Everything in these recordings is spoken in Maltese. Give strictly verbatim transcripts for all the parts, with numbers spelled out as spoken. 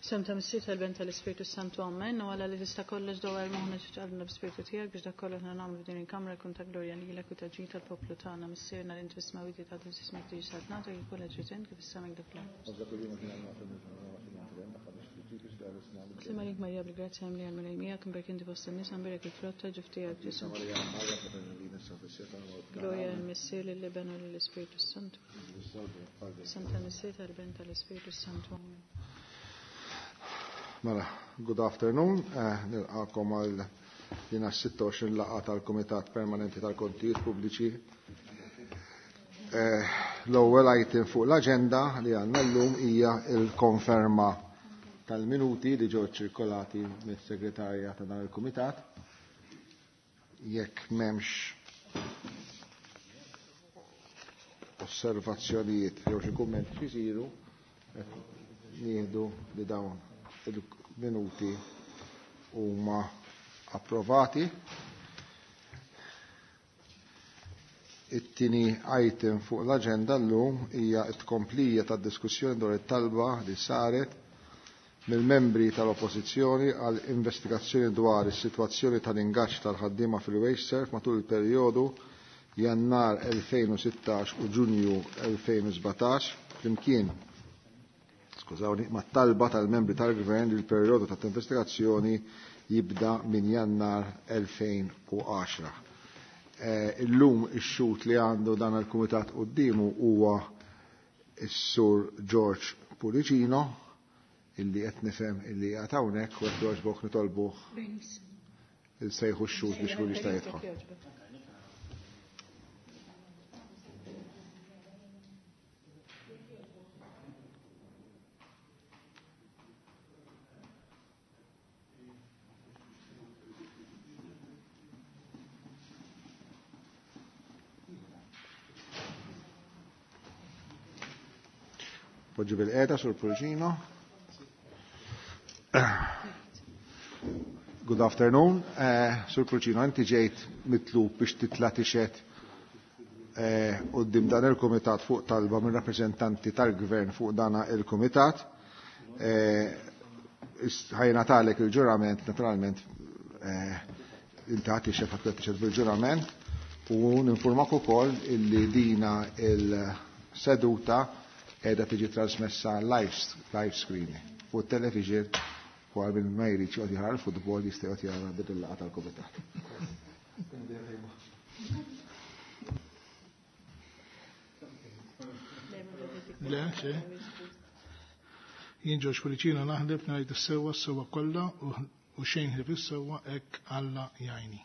Sem ta' Missier tal-Ben tal-Ispirtu Santu Amen, u għala li tista' kollox dwar moħħna ġitqalna b'Spirtu tiegħek biex dak kollox nagħmlu f'din il-kamra jkun ta' glorja lilek u ta' ġid tal-poplu tagħna. Missierna li inti fis-smewwiet tagħti ismek tiġi saltnatu jkun ġrid kif is-sema dak l-art. Slim għalik Marija bil-grazzja mimlija l-Mulej miegħek, imberk inti fost in-nisa, mberek il-frott ta' ġuf tiegħek Ġesù. Glorja lill-Missier, lill-Iben u lill-Ispirtu Santu. Santa Missier tal-Ben tal-Ispirtu Santu. Amen. Mela, good afternoon. Eh, nilqakom għal dina sitta u għoxrin laqgħa tal-Kumitat Permanenti tal-Kontijiet Pubbliċi. Eh, l-ewwel item fuq l-aġenda li għandna llum hija l-konferma tal-minuti li ġew ċirkolati mis-segretarja ta' dan il-Kumitat. Jekk m'hemmx osservazzjonijiet jew xi kummenti xi jsiru, nieħdu li dawn il-minuti huma approvati. It-tieni item fuq l-aġenda llum hija t-tkomplija tad-diskussjoni dwar it-talba li saret mill-membri tal-Oppożizzjoni għal investigazzjoni dwar is-sitwazzjoni tal-ingaġġ tal-ħaddiema fil-WasteServ matul il-perjodu Jannar elfejn u sittax u Ġunju elfejn u sbatax flimkien skużawni, mat-talba tal-membri tal-Gvern li l-perjodu tat-investigazzjoni jibda minn Jannar elfejn u għaxra. Eh, illum ix-xut li għandu dan il-Kumitat quddiemu huwa s-Sur George Pullicino, illi qed nifhem illi qiegħed hawnhekk u qed jogħġbok nitolbuh il-sejħu x-xut biex kull jista' jidħol. Poġġi bil-qeda sur Pullicino. Good afternoon. Eh, Sur Pullicino, inti ġejt mitlub biex titla' tixhed, eh, quddiem dan il-Kumitat fuq talba minn rappreżentanti tal-Gvern fuq dan il-Kumitat. Eh, ħajna talek il-ġurament, naturalment, eh, inti ħadd tixhed, ħadd tixhed bil-ġurament, u ninformak ukoll illi dina il-seduta qiegħda tiġi trasmessa live, live screening fuq television u għal min ma jridx joqgħod jara l-futbol jista' joqgħod jara din il-laqgħa tal-Kumitat. Le, xe. Jien George Pullicino naħlef ngħid is-sewwa s-sewwa kollha u xejn ħlief is-sewwa hekk Alla jgħinni.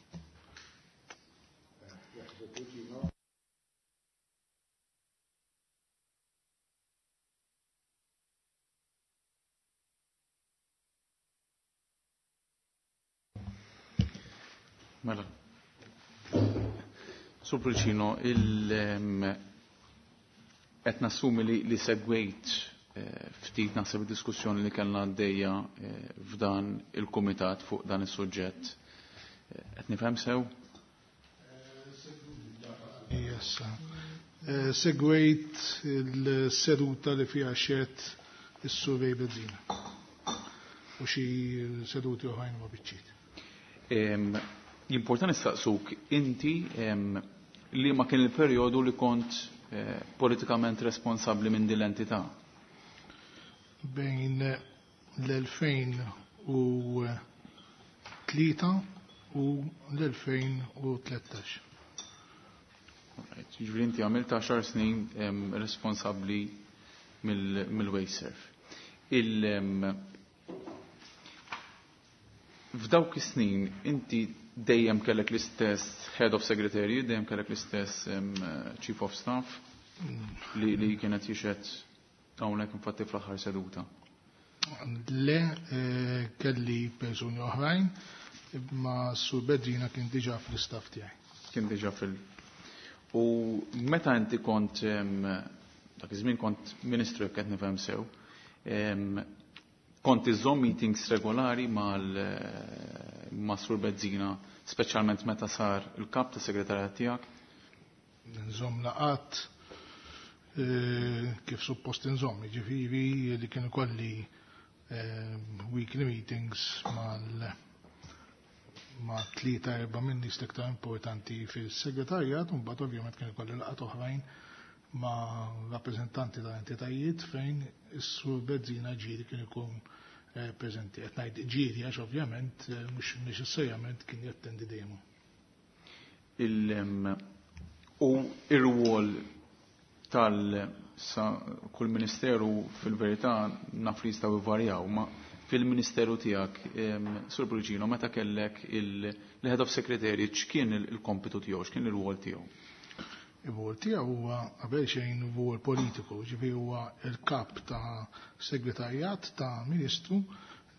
Mela. Sur Pullicino, il-, qed nassumi li, li segwejt, eh, ftit naħseb id-diskussjoni li kellna għaddejja, eh, f'dan il-kumitat fuq dan is-suġġett. Eh, qed nifhem sew? Yes. Eh, segwejt il-seduta li fiha xed is-Sur Bezzina u xi seduti oħrajn ma biċċiet. Em, Jimporta nistaqsuk inti, em, li ma kien il-perjodu li kont, eh, politikament responsabbli minn din l-entità? Bejn l-elfejn u tlieta u l-elfejn u tlettax. Alright, jiġifieri inti għamilt għaxar snin, em, responsabbli mill-, mill-WasteServ. Il, em, f'dawk is-snin inti dejjem kellek l-istess head of secretary, dejjem kellek l-istess, em, chief of staff li, li kienet jixed hawnhekk infatti fl-aħħar seduta. Le, eh, kelli persuni oħrajn, imma Sur Bezzina kien diġà fl-istaff tiegħi. Kien diġà fil- U meta inti kont, em, dak iż-żmien kont ministru jekk qed nifhem sew, em, kont iżżomm meetings regolari mal, eh, ma' Sur Bezzina, speċjalment meta sar il-kap ta' segretarjat tiegħek? Nżomm laqat, eh, kif suppost nżomm, jiġifieri li kienu kolli, weekly meetings mal ma' tlieta erba' minn nies l-iktar importanti fis-segretarjat, u mbagħad ovvjament kien ikolli laqgħat oħrajn ma' rappreżentanti ta' entitajiet fejn is-Sur Bezzina ġieli kien ikun preżenti. Qed ngħid ġieli għax ovvjament mhux neċessarjament kien jattendi dejjem. U ir-rwol tal sa kull ministeru fil-verità naf li jistgħu jvarjaw, ma fil-ministeru tiegħek, Sur Pullicino, meta kellek il-head of secretariat, x'kien il-kompitu tiegħu, x'kien ir-rwol tiegħu? Ir-rwol tiegħu huwa qabel xejn rwol politiku, ġifieri huwa l-kap ta' segretarjat ta' ministru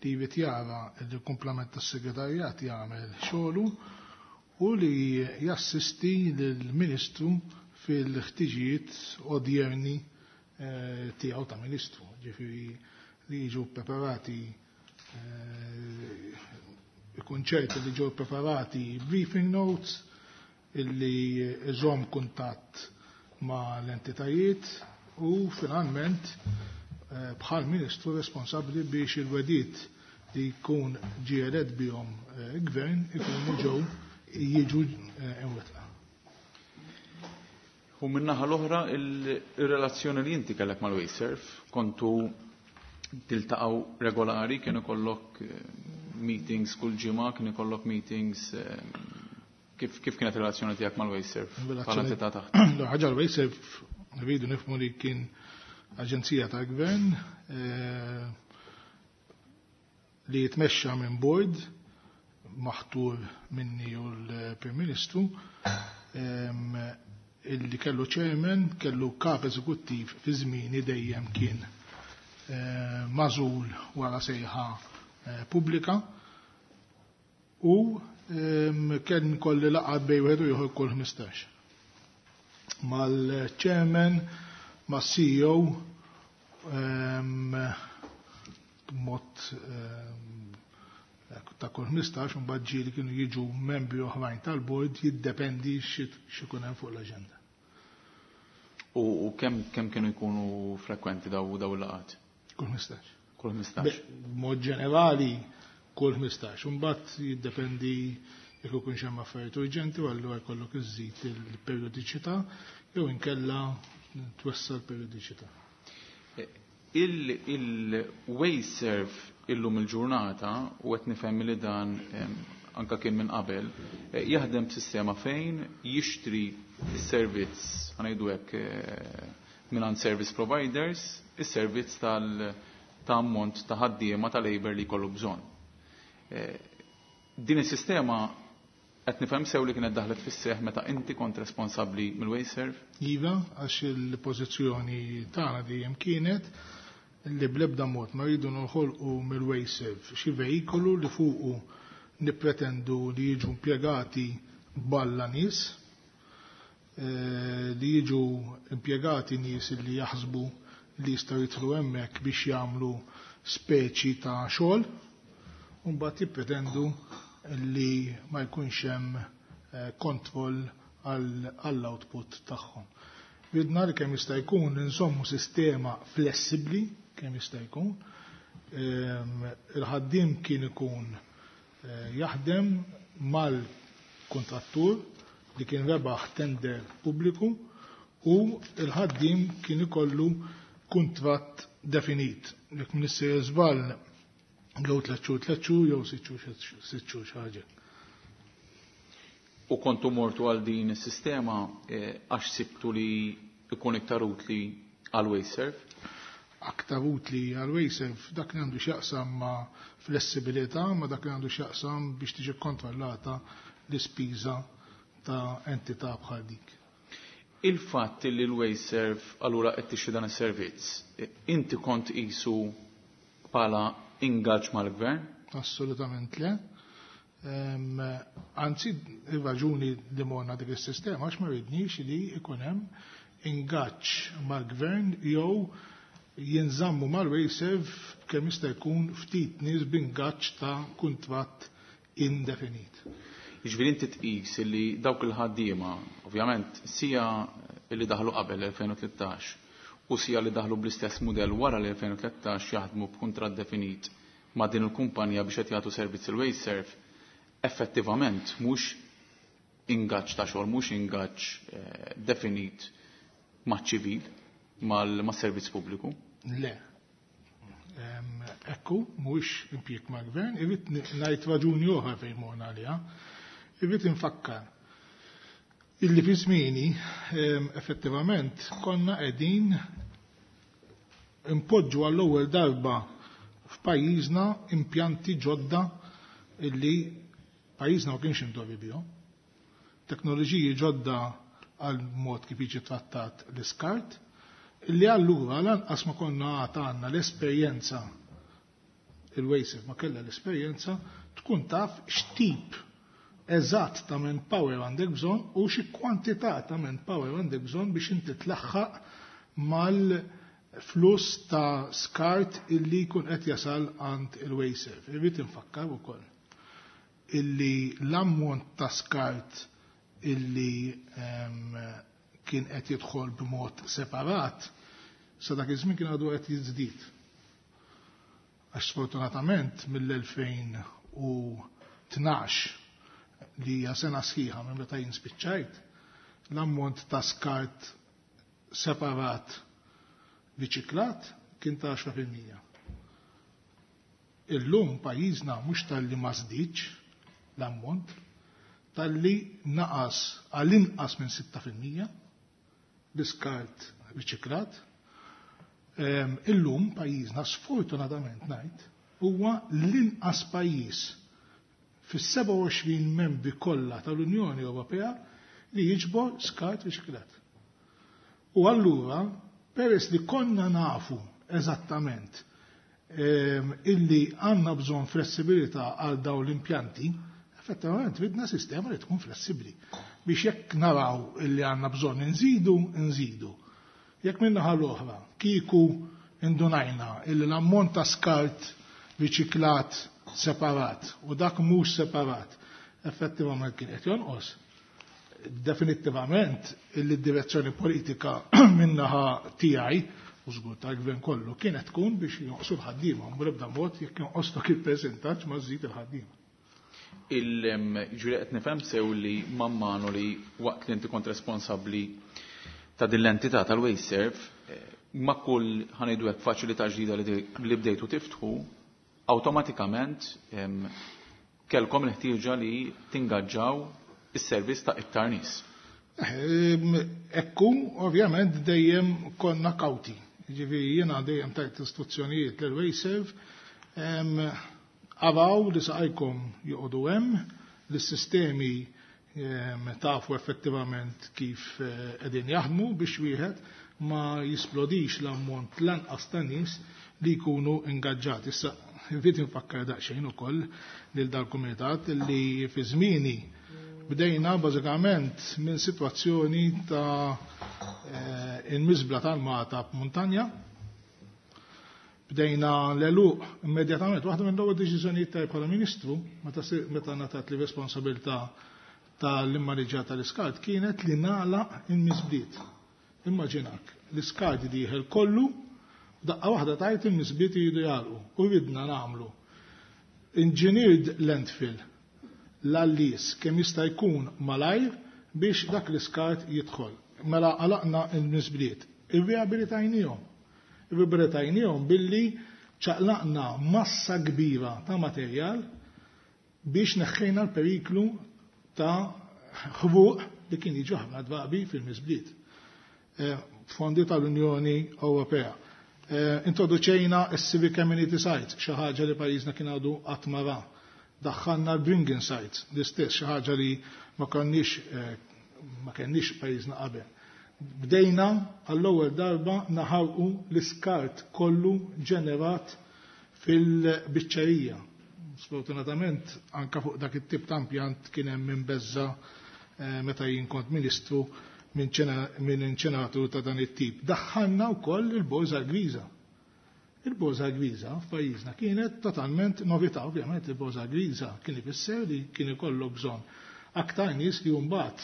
li jrid jara l-kumplament tas-segretarjat jagħmel xogħlu u li jassisti lill-ministru fil-ħtiġijiet odjerni tiegħu ta' ministru, ġifieri li jiġu preparati ikun ċert li ġew preparati briefing notes, illi iżomm kuntatt ma' l-entitajiet u finalment bħal ministru responsabbli biex il-wedit li jkun ġie elett bihom gvern ikunu ġew jiġu imwettqa. U min-naħa l-oħra il-relazzjoni li inti kellek mal-Wasteserv, kontu tiltaqgħu regolari, kien ikollok meetings kull ġimgħa, kien ikollok meetings, kif, kif kienet relazzjoni tiegħek mal-Wasteserv? Bħala entità taħt. Ħaġa l-Wasteserv rridu nifhmu li kien aġenzija tal-gvern li jitmexxa minn board maħtur minni u l-Prim Ministru, illi kellu chairman, kellu kap eżekuttiv fi żmieni dejjem kien mażul wara sejħa pubblika u kien kolli laqgħat bejn wieħed u ieħor kull ħmistax. Mal-chairman, mas-C E O, b'mod ta' kull ħmistax, u mbagħad ġieli kienu jiġu membri oħrajn tal-board, jiddependi x'ikun hemm fuq l-aġenda. U kemm kemm kienu jkunu frekwenti daw daw il-laqgħat? Kull ħmistax. Kull ħmistax. B'mod ġenerali kull ħmistax. U mbagħad jiddependi jekk ikun hemm affarijiet urġenti u allura jkollok iżżid il-periodiċità jew inkella twessa' l-periodiċità. Il-Wasteserv illum il-ġurnata, u qed nifhem li dan anka kien minn qabel, jaħdem b'sistema fejn jixtri s-servizz, ħanejdu hekk, mingħand service providers, is-servizz tal ta' ammont ta' ħaddiema ta' labor li jkollu bżonn. Din is-sistema qed nifhem sew li kienet daħlet fis-seħħ meta inti kont responsabbli mill-Wasteserv? Iva, għax il-pożizzjoni tagħna dejjem kienet li bl-ebda mod ma rridu noħolqu mill-Wasteserv xi veikolu li fuqu nippretendu li jiġu impjegati balla nies, li jiġu impjegati nies li jaħsbu li jistgħu jidħlu hemmhekk biex jagħmlu speċi ta' xogħol, u mbagħad jippretendu li ma jkunx hemm kontroll għall-output tagħhom. Ridna li kemm jista' jkun nżommu sistema flessibbli kemm jista' jkun. Il-ħaddiem kien ikun jaħdem mal-kontrattur li kien rebaħ tender pubbliku u il-ħaddiem kien ikollu kuntratt definit. Jekk m'nissejjer żball jew tliet xhur tliet xhur jew sitt xhur sitt xhur xi ħaġa. U kontu mortu għal din is-sistema għax sibtu li ikun iktar utli għal Wasteserv? Aktar utli għal Wasteserv dak li għandu x'jaqsam ma' flessibilità, ma' dak li għandu x'jaqsam biex tiġi kontrollata l-ispiża ta' entità bħal dik. Il-fatt li l-Wasteserv allura qed tixtri dan is-servizz, inti kont qisu bħala ingaġġ mal-gvern? Assolutament le. Anzi, ir-raġuni li morna dik is-sistema għax ma rridniex li jkun hemm ingaġġ mal-gvern jew jinżammu mal-Wasteserv kemm jista' jkun ftit nies b'ingaġġ ta' kuntratt indefinit. Jiġifieri inti tqis li dawk il-ħaddiema, ovvjament, sija li daħlu qabel elfejn u tlettax u sija li daħlu bl-istess mudell wara l-elfejn u tlettax jaħdmu b'kuntratt definit ma' din il-kumpanija biex qed jagħtu servizz il-WasteServ, effettivament mhux ingaġġ ta' xogħol, mhux ingaġġ eh, definit maċ-ċivil, mal-servizz pubbliku? Le. Ekku, mhuwiex impjieg mal-gvern, irrid ngħid raġuni oħra fejn morna għaliha. Irrid infakkar illi fi żmieni effettivament konna qegħdin impoġġu għall-ewwel darba f'pajjiżna impjanti ġodda illi pajjiżna ma kienx indorri bihom. Teknoloġiji ġodda għal mod kif jiġi trattat l-iskart, illi allura lanqas ma konna għad għandna l-esperjenza, il-WasteServ ma kellha l-esperjenza, tkun taf x'tip eżatt ta' manpower għandek bżonn u xi kwantità ta' manpower għandek bżonn biex inti tlaħħaq mal-fluss ta' skart illi jkun qed jasal għand il-WasteServ. Irrid infakkar ukoll illi l-ammont ta' skart illi kien qed jidħol b'mod separat sa dak iż-żmien kien għadu qed jiżdied. Għax sfortunatament mill-elfejn u tnax li hija sena sħiħa minn meta jien spiċċajt, l-ammont ta' skart separat riċiklat kien ta' għaxra fil-mija. Illum pajjiżna mhux talli ma żdiedx l-ammont, talli naqas għal inqas minn sitta fil-mija l-iskart riċiklat. Ehm, illum pajjiżna sfortunatament ngħid huwa l-inqas pajjiż fis-sebgħa u għoxrin membri kollha tal-Unjoni Ewropea li jiġbor skart riċiklat. U allura, peress li konna nafu eżattament, ehm, illi għandna bżonn flessibilità għal dawn l-impjanti, effettivament ridna sistema li tkun flessibbli biex jekk naraw illi għandna bżonn inżidu, inżidu. Jekk min-naħa l-oħra, kieku indunajna illi l-ammont ta' skart riċiklat separat u dak mhux separat effettivament kien qed jonqos. Definittivament illi d-direzzjoni politika min-naħa tiegħi u żgur tal-gvern kollu kienet tkun biex jonqsu l-ħaddiema, u bl-ebda mod jekk jonqos dak il-percentaġġ ma żżid il-ħaddiema. Il-ġuri qed nifhem sew li mammanu li waqt li inti kont responsabbli ta' din l-entità tal-WasteServ, ma' kull ħanejdu hekk faċilità ġdida li li bdejtu tiftħu, awtomatikament, em, kellkom il-ħtieġa li tingaġġaw is-servizz ta' iktar nies. Ehm, ekku, ovvjament dejjem konna kawti. Ġifieri jiena dejjem tajt istruzzjonijiet lil WasteServ, ehm, araw li saqajkom joqogħdu hemm, li s-sistemi, ehm, tafu effettivament kif, eh, qegħdin jaħdmu biex wieħed ma jisplodix l-ammont lanqas ta' nies li jkunu ingaġġati. Issa, irrid infakkar daqsxejn ukoll lil dal-kumitat li fi żmieni bdejna bażikament minn sitwazzjoni ta', eh, il-miżbla tal-Mata f'Muntanja. Bdejna l-eluq immedjatament, waħda minn l-ewwel deċiżjonijiet tiegħi bħala Ministru, meta si-, meta ngħatat li responsabilità tal-immaniġġjar tal-iskart kienet li nagħlaq il-miżbliet. Immaġinak, l-iskart dieħel kollu, daqqa waħda tajt il-miżbliet jridu jagħlqu u ridna nagħmlu engineered landfill l-għallis kemm jista' jkun malajr biex dak l-iskart jidħol. Mela għalaqna l-miżbliet. Irriabilitajnihom. Irriabilitajnihom billi ċaqlaqna massa kbira ta' materjal biex neħħejna l-periklu ta' ħruq li kien jiġu ħafna drabi fil-miżbliet. Eh, fondi tal-Unjoni Ewropea. Eh, introduċejna s-Civic Community Sites, xi ħaġa li pajjiżna kien għadu qatt ma ra. Daħħalna l-Bringing Sites, l-istess xi ħaġa li ma konniex, eh, ma kenniex pajjiżna qabel. Bdejna għall-ewwel darba naħarqu l-iskart kollu ġenerat fil-biċċerija. Sfortunatament anka fuq dak it-tip ta' impjant kien hemm min beża', eh, meta jien kont ministru minn ċena-, minn inċeneratur ta' dan it-tip. Daħħalna wkoll il-borża griża. Il-borża griża f'pajjiżna kienet totalment novità, ovvjament il-borża griża kien ifisser li kien ikollok bżonn aktar nies li mbagħad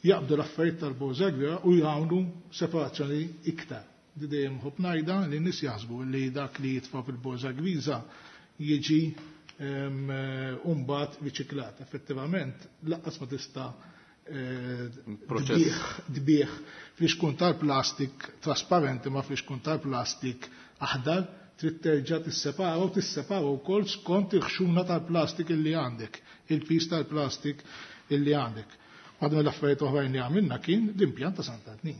jaqbdu l-affarijiet tal-borża griża u jagħmlu separazzjoni iktar. Di dejjem ħobb ngħidha li n-nies jaħsbu li dak li jitfa' fil-borża griża jiġi mbagħad riċiklat. Effettivament lanqas ma tista' tbigħ flixkun tal-plastik trasparenti ma flixkun tal-plastik aħdar, trid terġa' tissepara u tissepara wkoll skont il-ħxuna tal-plastik illi għandek, il-pis tal-plastik illi għandek. Waħda mill-affarijiet oħrajn li għamilna kien l-impjant ta' Sant'Antnin.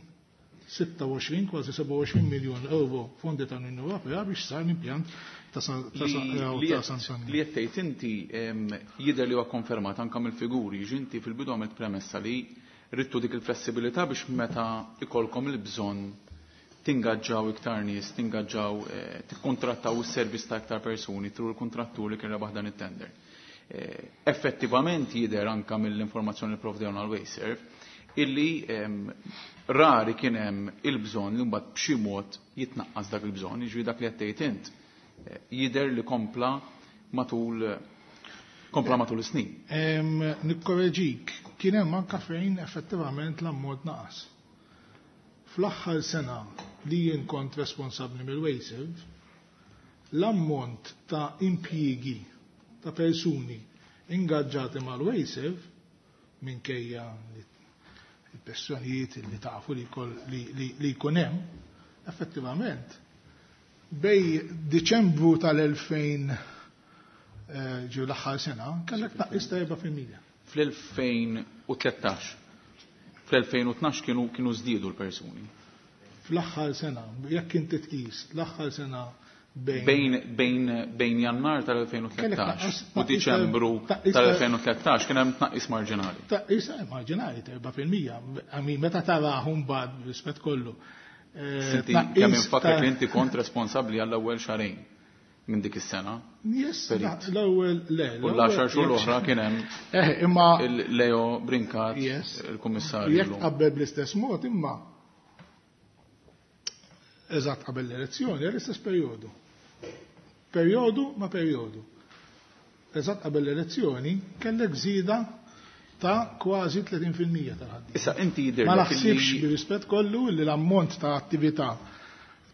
sitta u għoxrin, kważi sebgħa u għoxrin miljun euro fondi tal-Unjoni Ewropea biex sar l-impjant ta' Sant'Antnin. Li qed tgħid inti jidher li huwa konfermat anke mill-figuri, ġinti fil-bidu għamilt premessa li ridtu dik il-flessibilità biex meta ikolkom il-bżonn tingaġġaw iktar nies, tingaġġaw, tikkontrattaw is-servizz ta' iktar persuni through il-kontrattur li kien rebaħ dan it-tender. Effettivament jidher anke mill-informazzjoni li provdewna l-WasteServ illi rari kien hemm il-bżonn li mbagħad b'xi mod jitnaqqas dak il-bżonn, jiġifieri dak li qed tgħid int jidher li kompla matul kompla matul is-snin. Nikkoreġik, kien hemm anke fejn effettivament l-ammont naqas. Fl-aħħar sena li jien kont responsabbli mill-WasteServ, l-ammont ta' impjiegi ta' persuni ingaġġati mal-WasteServ minkejja il-pressjonijiet li tafu li jkun hemm, effettivament bej Diċembru tal-elfejn ġew l-aħħar sena kellek tnaqqis ta' erba' fil-mija. Fl-elfejn u tlettax, fl-elfejn u tnax kienu kienu żdiedu l-persuni. Fl-aħħar sena, jekk inti tqis l-aħħar sena bejn bejn bejn Jannar tal-elfejn u tlettax u Diċembru tal-elfejn u tlettax kien hemm tnaqqis marġinali. Tnaqqis marġinali ta' erba' fil-mija. Għami meta tarahom bad rispett kollu. Sinti, kemm infakkar li inti kont responsabbli għall-ewwel xahrejn minn dik is-sena. Yes, l-ewwel le. U l-għaxar xhur l-oħra kien hemm Eh, imma il-Leo Brincat, il-kummissarju. Jekk qabel bl-istess mod imma eżatt qabel l-elezzjoni, l-istess perjodu. Perjodu ma perjodu. Eżatt qabel l-elezzjoni kellek żieda ta' kważi tletin fil-mija tal-ħaddiema. Issa inti jidher Ma naħsibx bir-rispett kollu li l-ammont ta' attività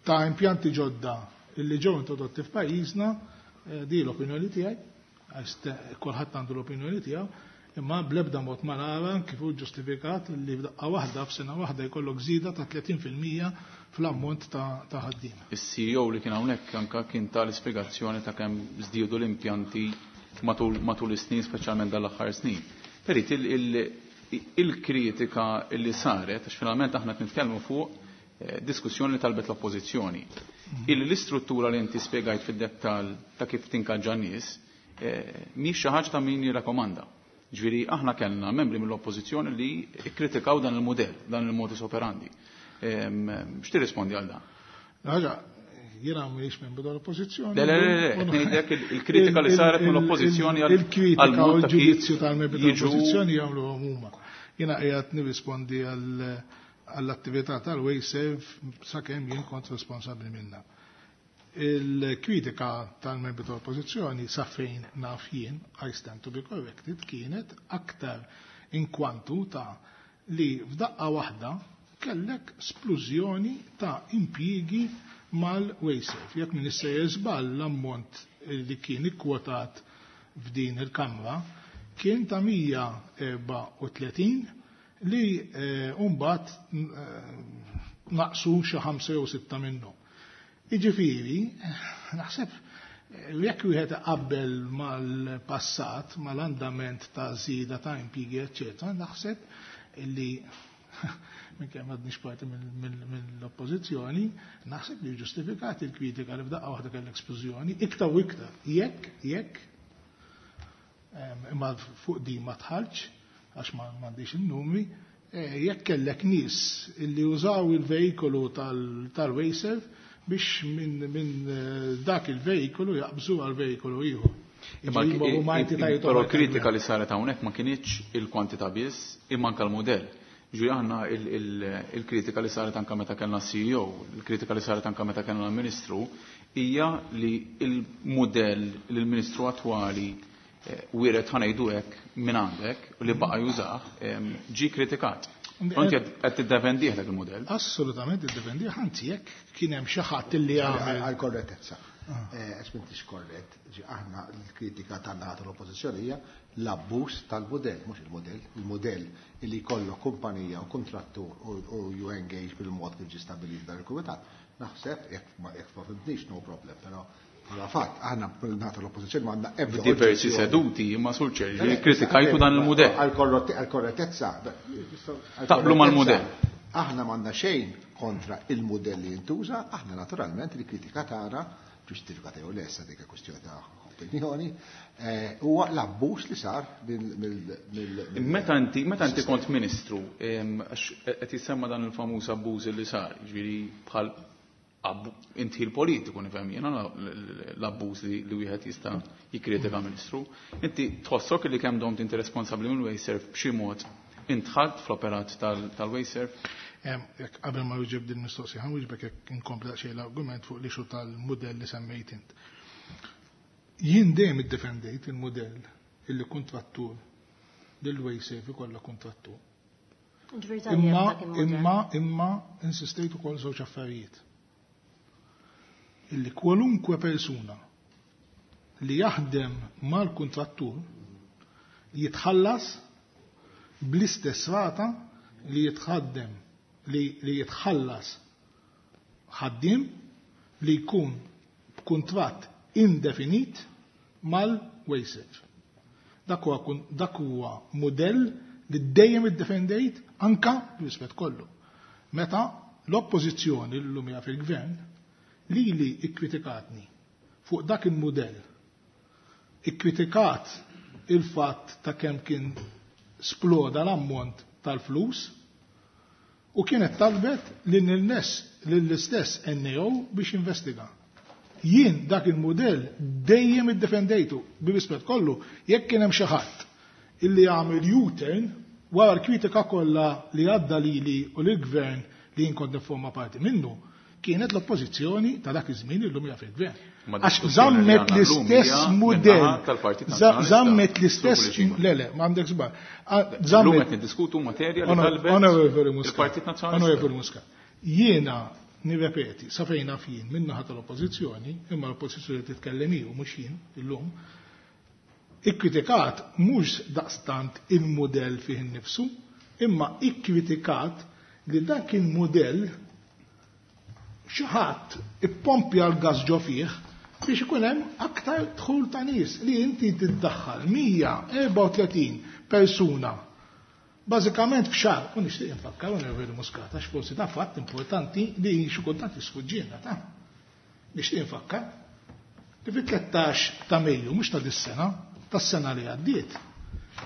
ta' impjanti ġodda illi ġew introdotti f'pajjiżna, di l-opinjoni tiegħi, għax kulħadd għandu l-opinjoni tiegħu, imma bl-ebda mod ma nara kif hu ġustifikat li f'daqqa waħda f'sena waħda jkollok żieda ta' tletin fil-mija fl-ammont ta' ħaddiema. Is-C E O li kien hawnhekk anke kien tal-ispjegazzjoni ta' kemm żdiedu l-impjanti matul, matul is-snin, speċjalment dal-aħħar snin. Perit, il-kritika li saret, għax finalment aħna qed nitkellmu fuq diskussjoni li talbet l-oppożizzjoni. Illi l-istruttura li inti spjegajt fid-dettall ta' kif tinkaġġa nies, mhix xi ħaġa ta' min jirrakkomanda. Ġifieri aħna kellna membri mill-oppożizzjoni li kkritikaw dan il-mudell, dan il-modus operandi. X'tirrispondi għal dan? Ħaġa, jiena m'iniex membru tal-oppożizzjoni. Le, le, le, le, qed ngħidlek il-kritika li saret mill-oppożizzjoni għal Il-kritika għal mod u ta' kif l-ġudizzju tal-membri jiġu tal-oppożizzjoni jagħmluhom huma. Jiena qiegħed nirrispondi għall-attività tal-WasteServ sakemm jien kont responsabbli minnha. Il-kritika tal-membri tal-oppożizzjoni sa fejn naf jien, I stand to be corrected, kienet aktar inkwantu ta' li f'daqqa waħda kellek splużjoni ta' impjiegi mal-WasteServ. Jekk min issejjer żball l-ammont li kien ikkwotat f'din il-kamra kien ta' mija erba' u tletin li mbagħad naqsu xi ħamsa jew sitta minnhom. Jiġifieri, naħseb jekk wieħed iqabbel mal-passat, mal-andament ta' żieda ta' impjiegi, eċċetera, naħseb illi minkejja m'għadniex parti mill-oppożizzjoni, naħseb li ġustifikat il-kritika li f'daqqa waħda kellek splużjoni, iktar u iktar. Jekk, jekk, imma fuq din ma tħallx, għax ma m'għandix in-numri, jekk kellek nies illi użaw il-vejkolu tal-WasteServ biex minn min dak il-vejkolu jaqbżu għal vejkolu ieħor. Imma Jiġifieri huma entitajiet però oħra kritika kellna. li saret hawnhekk ma kinitx il-kwantità biss, imma anke l-mudell. Ġifieri aħna il-kritika li saret anke meta kellna C E O, il-kritika li saret anke meta kellna l-Ministru, hija li l-mudell li l-Ministru attwali wiret ħanejdu hekk minn għandek u li baqa' jużah, ġie kritikat. Inti qed tiddefendih dak il-mudell? Assolutament iddefendih, anzi jekk kien hemm xi ħadd illi għamel. Għal korrettezza. Għax m'intix korrett, aħna l-kritika tagħna tal-oppożizzjoni hija l-abbuż tal-mudell, mhux il-mudell, il-mudell illi jkollok kumpanija u kontrattur u you engage bil-mod kif ġie stabbilit dan il-kumitat. Naħseb jekk ma fimtnix no problem, però bħala fatt aħna nagħtu l-oppożizzjoni ma għandna ebda diversi seduti imma sur ċerri kritikajtu dan il-mudell. Għal korrettezza. Taqblu mal-mudell. Aħna m'għandna xejn kontra il-mudell li jintuża, aħna naturalment il-kritika tagħna ġustifikata jew le issa dik kwestjoni ta' opinjoni, huwa l-abbuż li sar mill. Meta inti meta inti kont ministru, għax qed jissemma dan il-famuż abbuż li sar, jiġifieri bħal inti l-politiku nifhem jiena l-abbuż li wieħed jista' jikkritika ministru. Inti tħossok li kemm domt inti responsabbli minn Wasteserv b'xi mod intħalt fl-operat tal-Wasteserv? Jekk qabel ma wieġeb din mistoqsija, ħa nwieġbek jekk inkompli daqsxejn l-argument fuq l-issue tal-mudell li semmejt int. Jien dejjem iddefendejt il-mudell illi kontrattur lil Wasteserv ikollha kontrattur. Imma imma imma insistejt ukoll żewġ affarijiet. Illi kwalunkwe persuna li jaħdem mal-kontrattur jitħallas bl-istess rata li jitħaddem li, li jitħallas ħaddim li jkun b'kuntratt indefinit mal-Wasteserv. Dak huwa dak huwa mudell li dejjem iddefendejt anka b'rispett kollu. Meta l-oppożizzjoni llum hija fil-gvern li li ikkritikatni fuq dak il-mudell, ikkritikat il-fatt ta' kemm kien sploda l-ammont tal-flus u kienet talbet li n-nes lill-istess N A O biex investiga. Jien dak il-mudell dejjem iddefendejtu bi rispett kollu, jekk kien hemm xi ħadd illi jagħmel U-turn wara l-kritika kollha li għadda lili u lill-gvern li jien kont nifforma parti minnu, kienet l-oppożizzjoni ta' dak iż-żmien illum hija fil-gvern. Għax żammet l-istess mudell. Żammet l-istess. Le, le, m'għandek żball. Żammet qed niddiskutu materja li talbet il-Partit Nazzjonalista. Onorevoli Muscat. Jiena nirrepeti, sa fejn naf jien min-naħa tal-oppożizzjoni, imma l-oppożizzjoni titkellem hi u mhux jien illum, ikkritikat mhux daqstant il-mudell fih innifsu, imma ikkritikat li dak il-mudell xi ħadd ippompja l-gas ġo fih biex ikun hemm aktar dħul ta' nies li inti tiddaħħal mija u erbgħa u tletin persuna. Bażikament f'xahar, u nixtieq infakkar Onorevoli Muscat, għax forsi ta' fatt importanti li xi kultant jisfuġġiena ta' nixtieq infakkar li fit-tlettax ta' Mejju, mhux ta' dis-sena, tas-sena li għaddiet,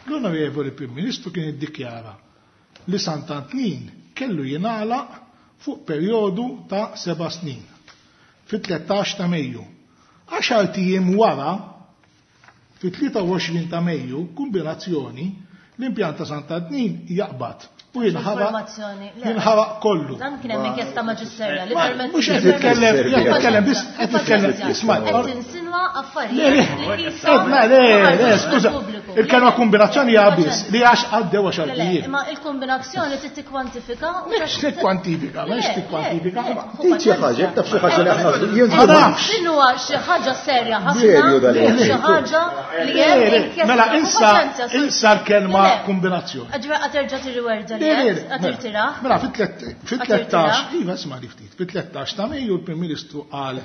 l-Onorevoli Prim Ministru kien iddikjara li Sant'Antnin kellu jingħalaq fuq perjodu ta' seba' snin. Fit-tlettax ta' Mejju. Għaxart ijiem wara, fit-tlieta u għoxrin ta' Mejju, kombinazzjoni, l-impjant ta' Sant'Antnin jaqbad u jinħaraq jinħaraq kollu. Dan kien hemm inkjesta maġisterja li permett. Mhux qed titkellem, qed titkellem biss, qed titkellem, isma'. Qed tinsinwa affarijiet li Le, le, le, skuża. Il-kelma kombinazzjoni hija biss li għax għaddew għaxar ijiem. Imma il-kombinazzjoni trid tikkwantifika. Mhux tikkwantifika, mhux tikkwantifika. Trid xi ħaġa, taf xi ħaġa li aħna jien Ma nafx. Din huwa xi ħaġa serja ħafna, xi ħaġa li hemm inkjesta. Mela insa insa l-kelma kombinazzjoni. Ġra qed terġa' tirriwerda li qed tirtiraħ. Mela fit-tlettax, iva isma' li ftit, fit-tlettax ta' Mejju l-Prim Ministru qal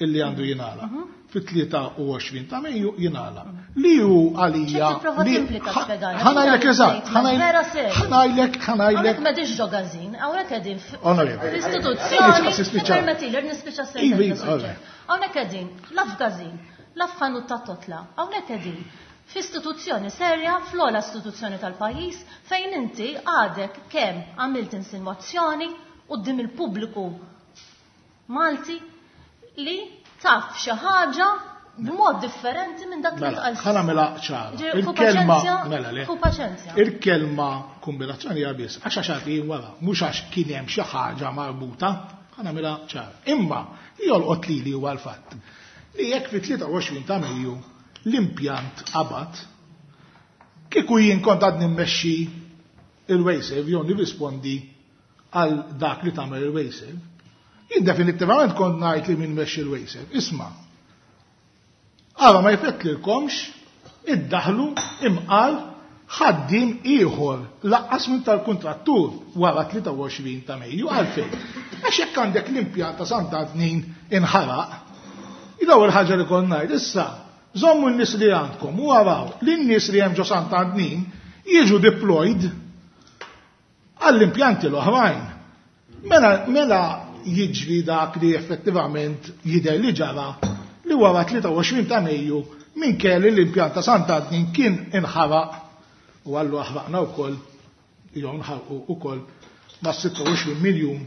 illi għandu jingħala. Fit-tlieta u għoxrin ta' Mejju jingħala. Li hu għalija. Ħa ngħidlek eżatt, ħa ngħidlek, ħa ngħidlek. Hawnhekk m'qegħdinx ġo każin, hawnhekk qegħdin l-istituzzjoni. Permettili nispiċċa Iva, Hawnhekk qegħdin, la f'każin, la f'ħanut ta' totla, hawnhekk qegħdin f'istituzzjoni serja, fl-ogħla istituzzjoni tal-pajjiż, fejn inti għadek kemm għamilt insinwazzjoni quddiem il-pubbliku Malti li taf xi ħaġa b'mod differenti minn dak li Mela, tqal. ħa nagħmilha ċara. Il-kelma, mela le. Ħu paċenzja. Il-kelma kombinazzjoni hija biss għax għaxart ijiem wara, mhux għax kien hemm xi ħaġa marbuta, ħa nagħmilha ċara. Imma li jolqot lili huwa l-fatt li jekk fit-tlieta u għoxrin ta' Mejju l-impjant qabad, kieku jien kont għadni mmexxi il-WasteServ jew nirrispondi għal dak li tagħmel il-WasteServ. Jien definittivament kont ngħid li min mexxi il-WasteServ. Isma', ara ma jfettlilkomx iddaħlu imqal ħaddiem ieħor laqqas minn tal-kuntrattur wara tlieta u għoxrin ta' Mejju. Għalfejn? Għax jekk għandek l-impjant ta' Sant'Antnin inħaraq, l-ewwel ħaġa li kont ngħid issa, żommu n-nies li għandkom u araw li n-nies li hemm ġo Sant'Antnin jiġu deployed għall-impjanti l-oħrajn. Mela, mela jiġri dak li effettivament jidher li ġara li wara tlieta u għoxrin ta' Mejju minn kelli l-impjant ta' Sant'Antnin kien inħaraq u għallu aħraqna wkoll jew nħarqu wkoll ma' sitta u għoxrin miljun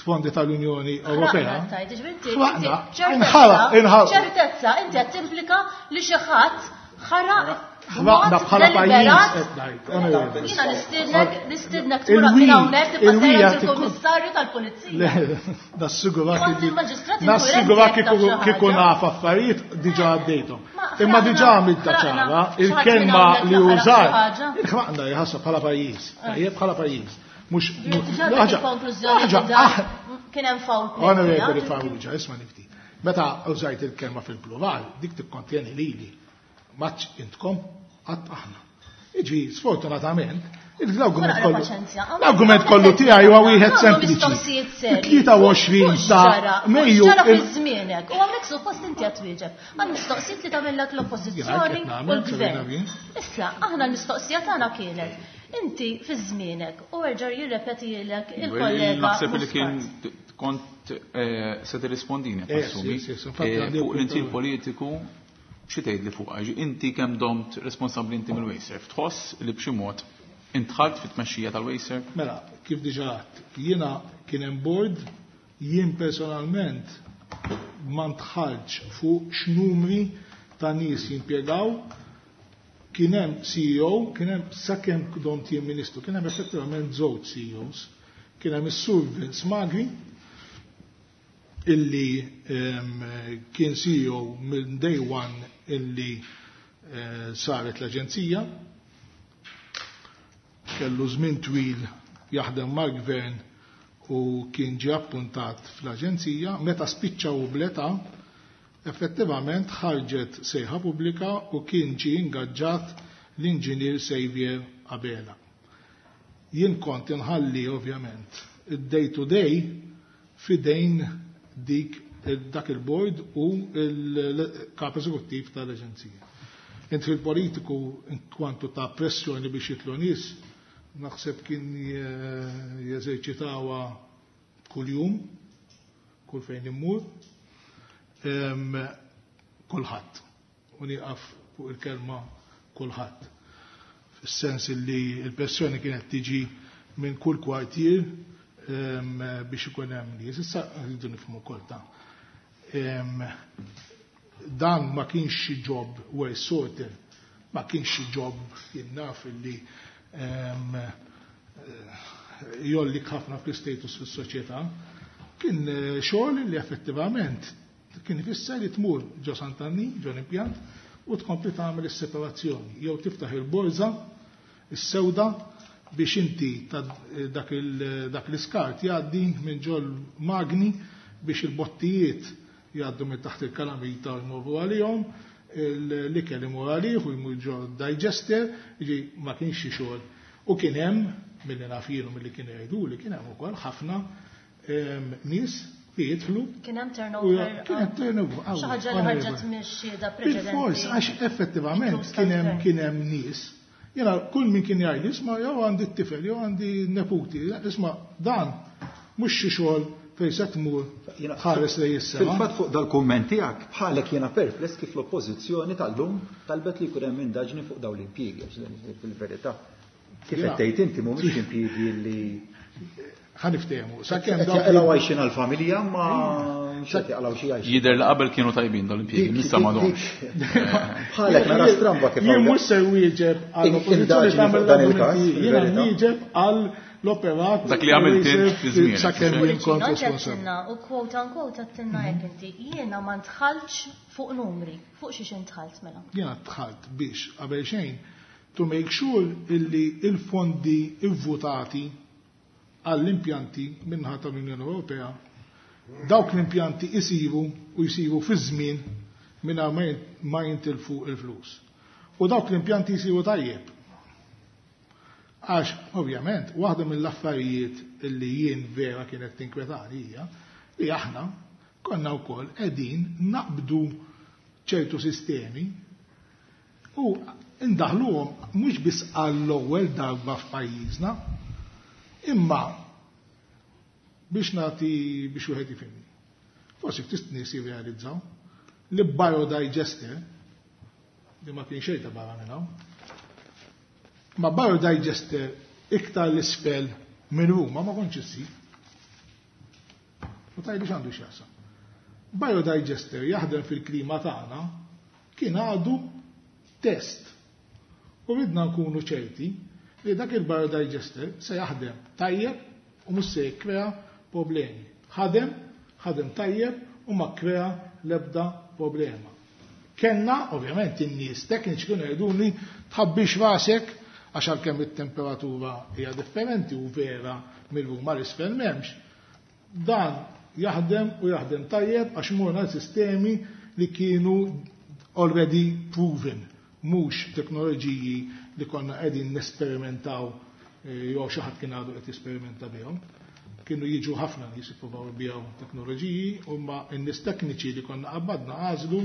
fondi tal-Unjoni Ewropea. Ħraqna, inħaraq, inħaraq. Ċertezza, inti qed timplika li xi ħadd ħaraq Ħraqna bħala pajjiż qed ngħid. Jiena nistiednek, nistiednek tmur minn hawnhekk tibqa' sejra il-Kummissarju tal-Pulizija. Le, nassigurak Kont li il-maġistrat nassigurak inkwirenti kieku jekk taf xi kieku ħaġa. naf affarijiet diġà għaddejthom. Ma Imma ħraqna, diġà għamilta ħraqna, ċara, xi ħadd minn il-kelma hawnhekk li ħaraq xi użat, ħaġa. ħraqna jħassab bħala pajjiż, tajjeb bħala pajjiż. Mhux Diġà ħaġa, il-konklużjoni ħaġa, li dan ah, kien hemm foul play. Onorevoli Farrugia, isma' nifti. Meta użajt il-kelma fil-plural, dik tikkontjeni lili. Maċ intkom, għadd aħna. Iġi, sfortunatament, l-argument Naqra kollu paċenzja. l-argument kollu tiegħi huwa wieħed Għamlu sempliċi. mistoqsijiet serji. Tlieta u għoxrin Fuq ta' x'ġara, fuq Mejju x'ġara il- fi żmienek. U hawnhekk suppost inti qed twieġeb. Għal mistoqsijiet li tagħmellek l-oppożizzjoni Jien qed u nagħmel, l-gvern. Serena Bien. Issa, aħna l-mistoqsija tagħna kienet inti fi żmienek u erġa' jirrepetilek il-kollega Naħseb li kien Muscat. kont eh, se tirrispondini, Eh, assumi. sì, sì, sì, infatti Eh, għandi Fuq l-intil appunto- politiku, xi tgħid li fuq għax inti kemm domt responsabbli inti mill-WasteServ. Tħoss li b'xi mod intħalt fit-tmexxija tal-WasteServ? Mela, kif diġà għedt, jiena kien hemm board, jien personalment ma ntħaltx fuq x'numri ta' nies jimpjegaw, kien hemm C E O, kien hemm sakemm domt jien ministru, kien hemm effettivament żewġ C E Os, kien hemm is-Sur Vince Magri, illi, ehm, kien C E O minn day one illi, eh, saret l-aġenzija, kellu żmien twil jaħdem mal-gvern u kien ġie appuntat fl-aġenzija, meta spiċċaw bl-età, effettivament ħarġet sejħa pubblika u kien ġie ingaġġat l-inġinier Xavier Abela. Jien kont inħalli ovvjament id-day to day fidejn dik dak il-board u il-kap eżekuttiv tal-aġenzija. Intri l-politiku kwantu ta' pressjoni biex jitlu nies, naħseb kien je-, jeżerċitawha kuljum, kull fejn immur, em, kulħadd. U nieqaf fuq il-kelma kulħadd. Fis-sens li l-pressjoni kienet tiġi minn kull kwartier, em, biex ikun hemm nies. Issa rridu nifhmu wkoll ta' em, dan ma kienx xi job well sorted, ma kienx xi job jien naf illi, em, jollik ħafna fl-status fis-soċjetà. Kien, eh, xogħol li effettivament kien ifisser li tmur ġo Sant'Anni, ġo l-impjant, u tkompli tagħmel is-separazzjoni, jew tiftaħ il-borża, is-sewda, biex inti ta' dak il-, dak l-iskart jgħaddi minn ġol magni biex il-bottijiet jgħaddu minn taħt il-kalamita u jmorru għalihom, l-ikel imur għalih u jmur ġo digester, jiġi ma kienx xi xogħol. U kien hemm, milli naf jien u milli kienu jgħidu li kien hemm ukoll ħafna, em, nies li jidħlu. Kien hemm U turnover, kien hemm turnover, Xi ħaġa li qawwi, ħarġet mix-xhieda preċedenti. Bil-fors, għax effettivament Inkluż kien hemm tal-gvern. kien hemm nies. Jiena kull min kien jgħid, isma' jew għandi t-tifel, jew għandi neputi, isma' dan mhux xi xogħol fejn se tmur Jiena ħares lejn is-sema. Fil-fatt fuq dal-kumment tiegħek bħalek jiena perpless kif l-oppożizzjoni tal-lum talbet li jkun hemm indaġni fuq dawn l-impjiegi, għax dan fil-verità. Kif Jiena qed tgħid inti mhumiex impjiegi li Ħa niftehmu. Sakemm Qed dawk jaqilgħu għajxin għall-familja, ma mhux qed jaqilgħu xi għajxin. Jidher li qabel kienu tajbin dawn l-impjiegi, Dik- issa dik- m'għadhomx. dik- Bħalek nara stramba kif Jien hawn. mhux se wieġeb għall-oppożizzjoni Indaġni fuq tagħmel dan il-każ, l-argumenti. Jiena fil-verità. nwieġeb għall l-operat Dak li għamilt int fi żmienek. Sakemm jien kont Pullicino, responsabbli. għattinna u quote unquote għattinna hekk inti, jiena ma ntħaltx fuq numri, fuq xiex intħalt mela. Jiena tħalt biex qabel xejn To make sure illi il-fondi ivvutati għall-impjanti minnaħa tal-Unjoni Ewropea, dawk l-impjanti isiru u jisiru fi żmien mingħajr ma jintilfu il-flus. U dawk l-impjanti jisiru tajjeb. Għax, ovvjament, waħda mill-affarijiet illi jien vera kienet tinkwetani hija li aħna konna wkoll qegħdin naqbdu ċertu sistemi u indaħluhom mhux biss għall-ewwel darba f'pajjiżna, imma biex nagħti biex wieħed jifhimni. Forsi ftit nies jirrealizzaw li biodigester li ma kien xejn ta' barra minn hawn. Ma biodigester iktar l-isfel minn Ruma ma kontx issib. U tajli x'għandu x'jaqsam. Biodigester jaħdem fil-klima tagħna kien għadu test. U ridna nkunu ċerti li dak il-biodigester se jaħdem tajjeb u mhux se jikkrea problemi. Ħadem, ħadem tajjeb u ma kkrea l-ebda problema. Kenna, ovvjament, in-nies tekniċi kienu jgħiduli tħabbix rasek għax għalkemm it-temperatura hija differenti u vera mill-Ruma l-isfel m'hemmx. Dan jaħdem u jaħdem tajjeb għax morna sistemi li kienu already proven, mhux teknoloġiji li konna qegħdin nesperimentaw jew xi ħadd kien għadu qed jesperimenta bihom. Kienu jiġu ħafna nies jippruvaw jbiegħu teknoloġiji u ma n-nies tekniċi li konna qabadna għażlu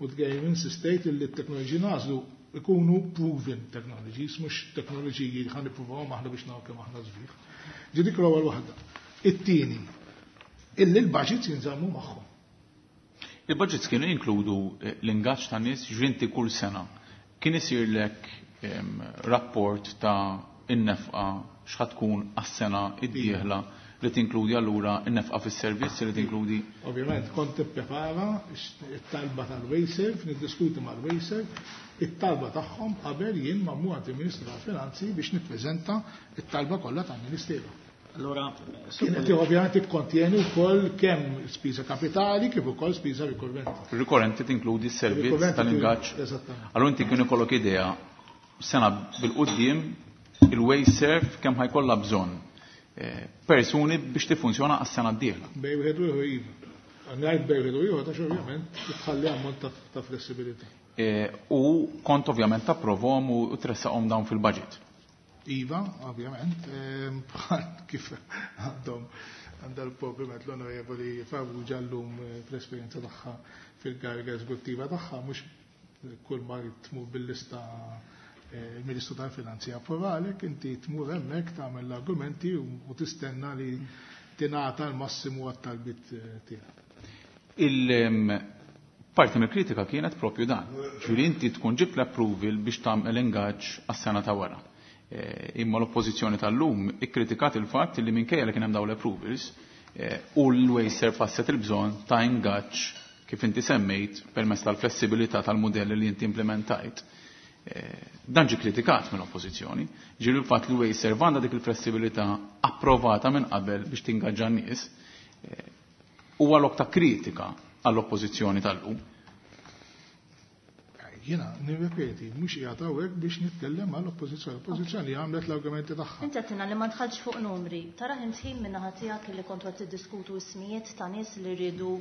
u dejjem insistejt li t-teknoloġiji nagħżlu ikunu proven technologies, mhux teknoloġiji li ħa nippruvawhom aħna biex naraw kemm aħna sbieħ. Ġi dik l-ewwel waħda. It-tieni, illi l-budgets jinżammu magħhom. Il-budgets kienu jinkludu l-ingaġġ ta' nies ġvinti kull sena. Kien isirlek rapport ta' in-nefqa x'ħa tkun għas-sena id-dieħla li tinkludi allura in-nefqa fis-servizz li tinkludi. Ovvjament kont tipprepara it-talba tal-Wasteserv, niddiskuti mal-Wasteserv, it-talba tagħhom qabel jien ma mmur għand il-Ministru tal-Finanzi biex nippreżenta it-talba kollha tal-Ministeru. Allora, kienet ovvjament ikkontjeni wkoll kemm spiża kapitali kif ukoll spiża rikorrenti. Rikorrenti tinkludi s-servizz tal-ingaġġ. Eżattament. Allura inti kien ikollok idea sena bil-quddiem il-Wasteserv kemm ħajkollha bżonn persuni biex tiffunzjona għas-sena d-dieħla. Bej wieħed u ieħor iva. Ngħid bej wieħed u ieħor għax ovvjament tħalli ammont ta' flessibilità. U kont ovvjament tapprovhom u tressaqhom dawn fil-budget. Iva, ovvjament, bħal kif għandhom għandha l-problema l-Onorevoli Farrugia llum fl-esperjenza tagħha fil-kariga eżekuttiva tagħha, mhux kull ma tmur bil-lista il-Ministru tal-Finanzi approvalek, inti tmur hemmhekk tagħmel l-argumenti u tistenna li tingħata l-massimu għat-talbit tiegħek. Il-parti mill-kritika kienet propju dan. Ġifieri inti tkun ġibt l-approval biex tagħmel ingaġġ għas-sena ta' wara. Imma l-oppożizzjoni tal-lum ikkritikat il-fatt li minkejja li kien hemm dawn l-approvals u l-Wasteserv ħasset il-bżonn ta' ingaġġ kif inti semmejt permezz tal-flessibilità tal-modelli li inti implementajt. Dan ġi kritikat mill-oppożizzjoni. Ġieli l-fatt li Wasteserv għandha dik il-flessibilità approvata minn qabel biex tingaġġa n-nies huwa lok ta' kritika għall-oppożizzjoni tal-lum. Jiena nirrepeti, mhux qiegħed hawnhekk biex nitkellem għall-oppożizzjoni. L-oppożizzjoni għamlet l-argumenti tagħha. Inti għedtilna li ma dħaltx fuq numri. Tara ħin min-naħa tiegħek li kontu qed tiddiskutu ismijiet ta' nies li rridu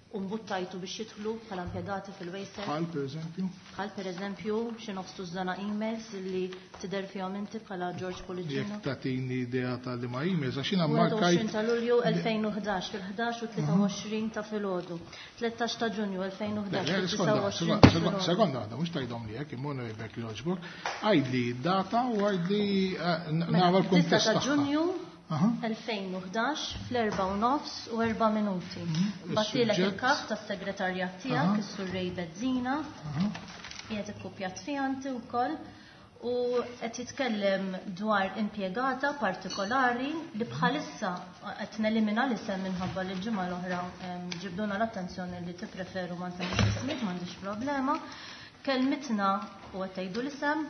u mbuttajtu biex jidħlu bħala impjegati fil-Wasteserv. Bħal pereżempju? Bħal pereżempju xi nofs tużżana emails li tidher fihom inti bħala George Pullicino. Jekk tagħtini idea ta' li ma emails għax jiena markajt. ta' Lulju elfejn u ħdax fil-ħdax u tlieta u għoxrin ta' filgħodu. tlettax ta' Ġunju elfejn u ħdax fil-tisa u għoxrin ta' filgħodu. Sekonda waħda, mhux tgħidhom li hekk imma jbek jogħġbok. Għidli data u għidli nara l-kuntest tagħha. Ta' Ġunju elfejn u ħdax fl-erba' u nofs u erba' minuti. Batilek il-kap tas-segretarjat tiegħek, is-Sur Ray Bezzina, qiegħed ikkupjat fiha inti wkoll, u qed jitkellem dwar impjegata partikolari li bħalissa qed nelimina l-isem minħabba li l-ġimgħa l-oħra ġibduna l-attenzjoni li tippreferu ma nsemmux ismijiet, m'għandix problema. Kelmitna u qed tgħidu l-isem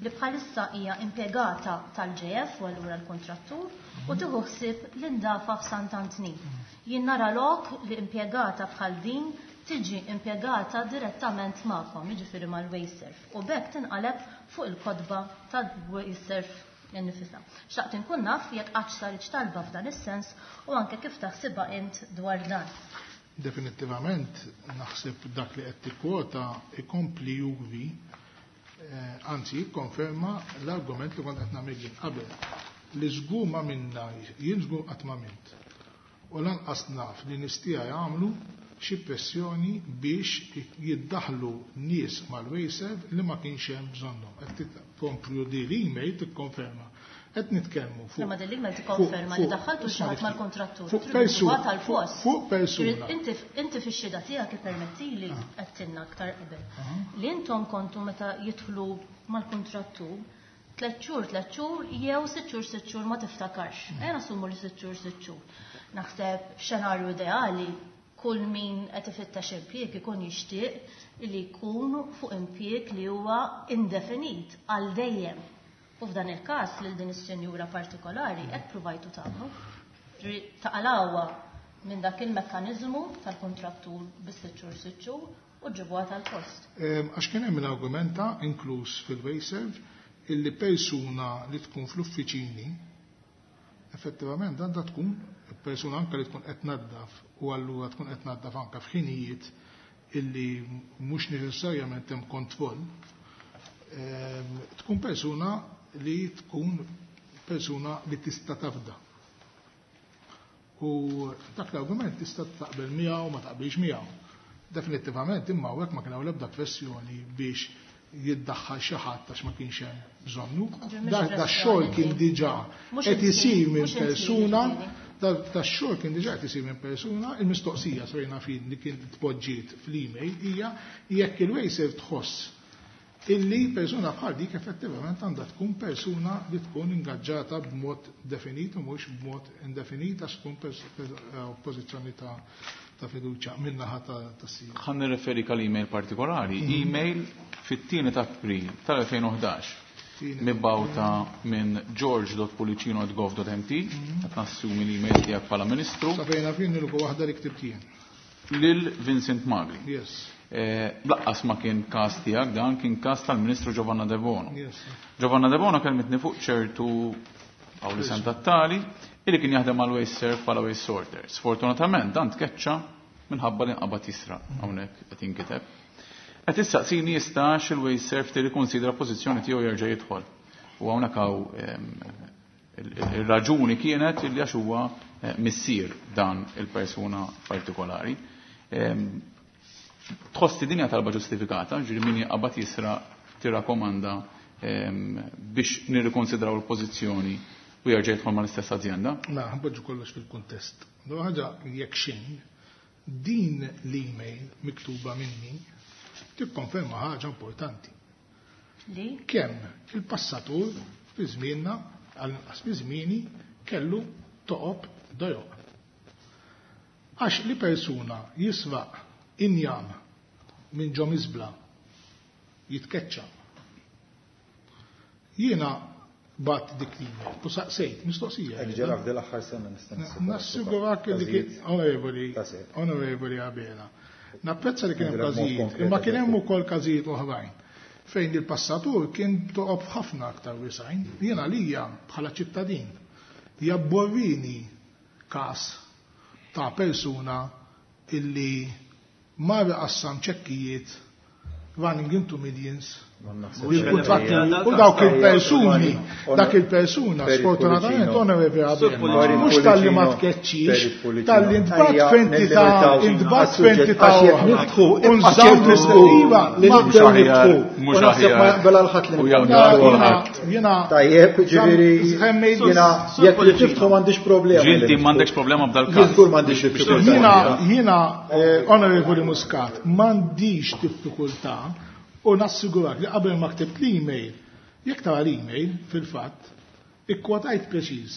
li bħalissa hija impjegata tal-J F u allura l-kontrattur u tieħu ħsieb l-indafa f'Sant'Antnin. Jien nara lok li impjegata bħal din tiġi impjegata direttament magħkom, jiġifieri mal-WasteServ, u b'hekk tinqaleb fuq il-kotba tal-WasteServ innifisha. Xtaqt inkun naf jekk qatt saritx talba f'dan is-sens u anke kif taħsibha int dwar dan. Definittivament naħseb dak li qed tikkwota ikompli juri, anzi jikkonferma l-argument li kont qed nagħmel jien qabel li żgur ma minna, jien żgur qatt ma mint. U lanqas naf li nistija jagħmlu xi pressjoni biex jiddaħlu nies mal-WasteServ li ma kienx hemm bżonnhom. Qed tkomplu di l-email tikkonferma. Qed nitkellmu fuq. Ma din l-email tikkonferma li daħħaltu xi ħadd mal-kontrattur. Fuq persuna. Fuq persuna. Inti fix-xhieda tiegħek ippermettili qed tinna aktar qabel. Li intom kontu meta jidħlu mal-kontrattur tliet xhur tliet xhur jew sitt xhur sitt xhur ma tiftakarx. Ejja nassumu li sitt xhur sitt xhur. Naħseb f'xenarju ideali kull min qed ifittex impjieg ikun jixtieq li jkun fuq impjieg li huwa indefinit għal dejjem. U f'dan il-każ lil din is-sinjura partikolari qed provajtu tagħmlu. Taqalawha minn dak il-mekkaniżmu tal-kontrattur bis-sitt xhur sitt xhur u ġibuha tal-post. Għax kien hemm l-argumenta inkluż fil-WasteServ illi persuna li tkun fl-uffiċini effettivament għandha tkun persuna anke li tkun qed tnaddaf u allura tkun qed tnaddaf anke f'ħinijiet illi mhux neċessarjament hemm kontroll, tkun persuna li tkun persuna li tista' tafda. U dak l-argument tista' taqbel miegħu ma taqbilx miegħu. Definittivament imma hawnhekk ma kien hawn l-ebda pressjoni biex jiddaħħal xi ħadd għax ma kienx hemm bżonnu. Da xogħol kien diġà qed isir minn persuna, da xogħol kien diġà qed isir minn persuna, il-mistoqsija sarina fin li kien tpoġġiet fl-email hija jekk il-WasteServ tħoss illi persuna bħal dik effettivament għandha tkun persuna li tkun ingaġġata b'mod definit u mhux b'mod indefinit għax tkun pożizzjoni ta' ta' fiduċja min-naħa ta' sija. Ħa nirreferi għal email partikolari, email fit-tieni ta' April tal-elfejn u ħdax mibgħuta minn george dot pulicino at gov dot m t, qed nassumi l-email tiegħek bħala Ministru. Sa fejn fin nilku waħda li ktibt jien. Lil Vincent Magri. Yes. Laqqas ma kien każ tiegħek dan, kien każ tal-Ministru Giovanna De Bono. Yes. Giovanna De Bono kelmitni fuq ċertu għaw li sem tattali, illi kien jaħdem għal WasteServ bħala waste sorter. Sfortunatament dan tkeċċa minħabba li nqabad jisraq hawnhekk qed jinkiteb. Qed issaqsini jistax il-WasteServ tirrikonsidra pożizzjoni tiegħu jerġa' jidħol. U hawnhekk hawn ir-raġuni kienet illi għax huwa missier dan il-persuna partikolari. Tħossi din hija talba ġustifikata, ġifieri min jaqbad jisraq tirrakkomanda biex nirrikonsidraw il-pożizzjoni u jerġa' jidħol mal-istess azienda? La, ħanpoġġu kollox fil-kuntest. Do ħaġa jekk xejn, din l-email miktuba minni tikkonferma ħaġa importanti. Li? Kemm il-passatur fi żmienna, għall-inqas fi żmieni, kellu toqob dojoq. Għax li persuna jisraq injam minn ġo miżbla jitkeċċa. Jiena bat dik l-email u saqsejt, mistoqsija. Hekk ġara f'dil aħħar sena nista' nassigura. Nassigurak li kien onorevoli, onorevoli Abela. Napprezza li kien hemm każijiet, imma kien hemm ukoll każijiet oħrajn fejn il-passatur kien toqob ħafna aktar wisajn. Jiena lija bħala ċittadin jabborrini każ ta' persuna illi mar qassam ċekkijiet running into millions. U dawk il-persuni, dak il-persuna, sfortunatament, onorevoli Abela, mhux talli ma tkeċċix, talli intbat f'entità, intbat f'entità oħra. U nżamm l-iva, li nibdew niftħu. U naħseb ma jaqbel għal ħadd li nibdew. Jiena Tajjeb, ġifieri, jiena jekk li tiftħu m'għandix problema. Ġinti m'għandekx problema b'dal każ. Żgur m'għandix diffikultà. Jiena, jiena, onorevoli Muscat, m'għandix diffikultà. U nassigurak li qabel ma ktibt l-email, jekk tara l-email, fil-fatt, ikkwotajt preċiż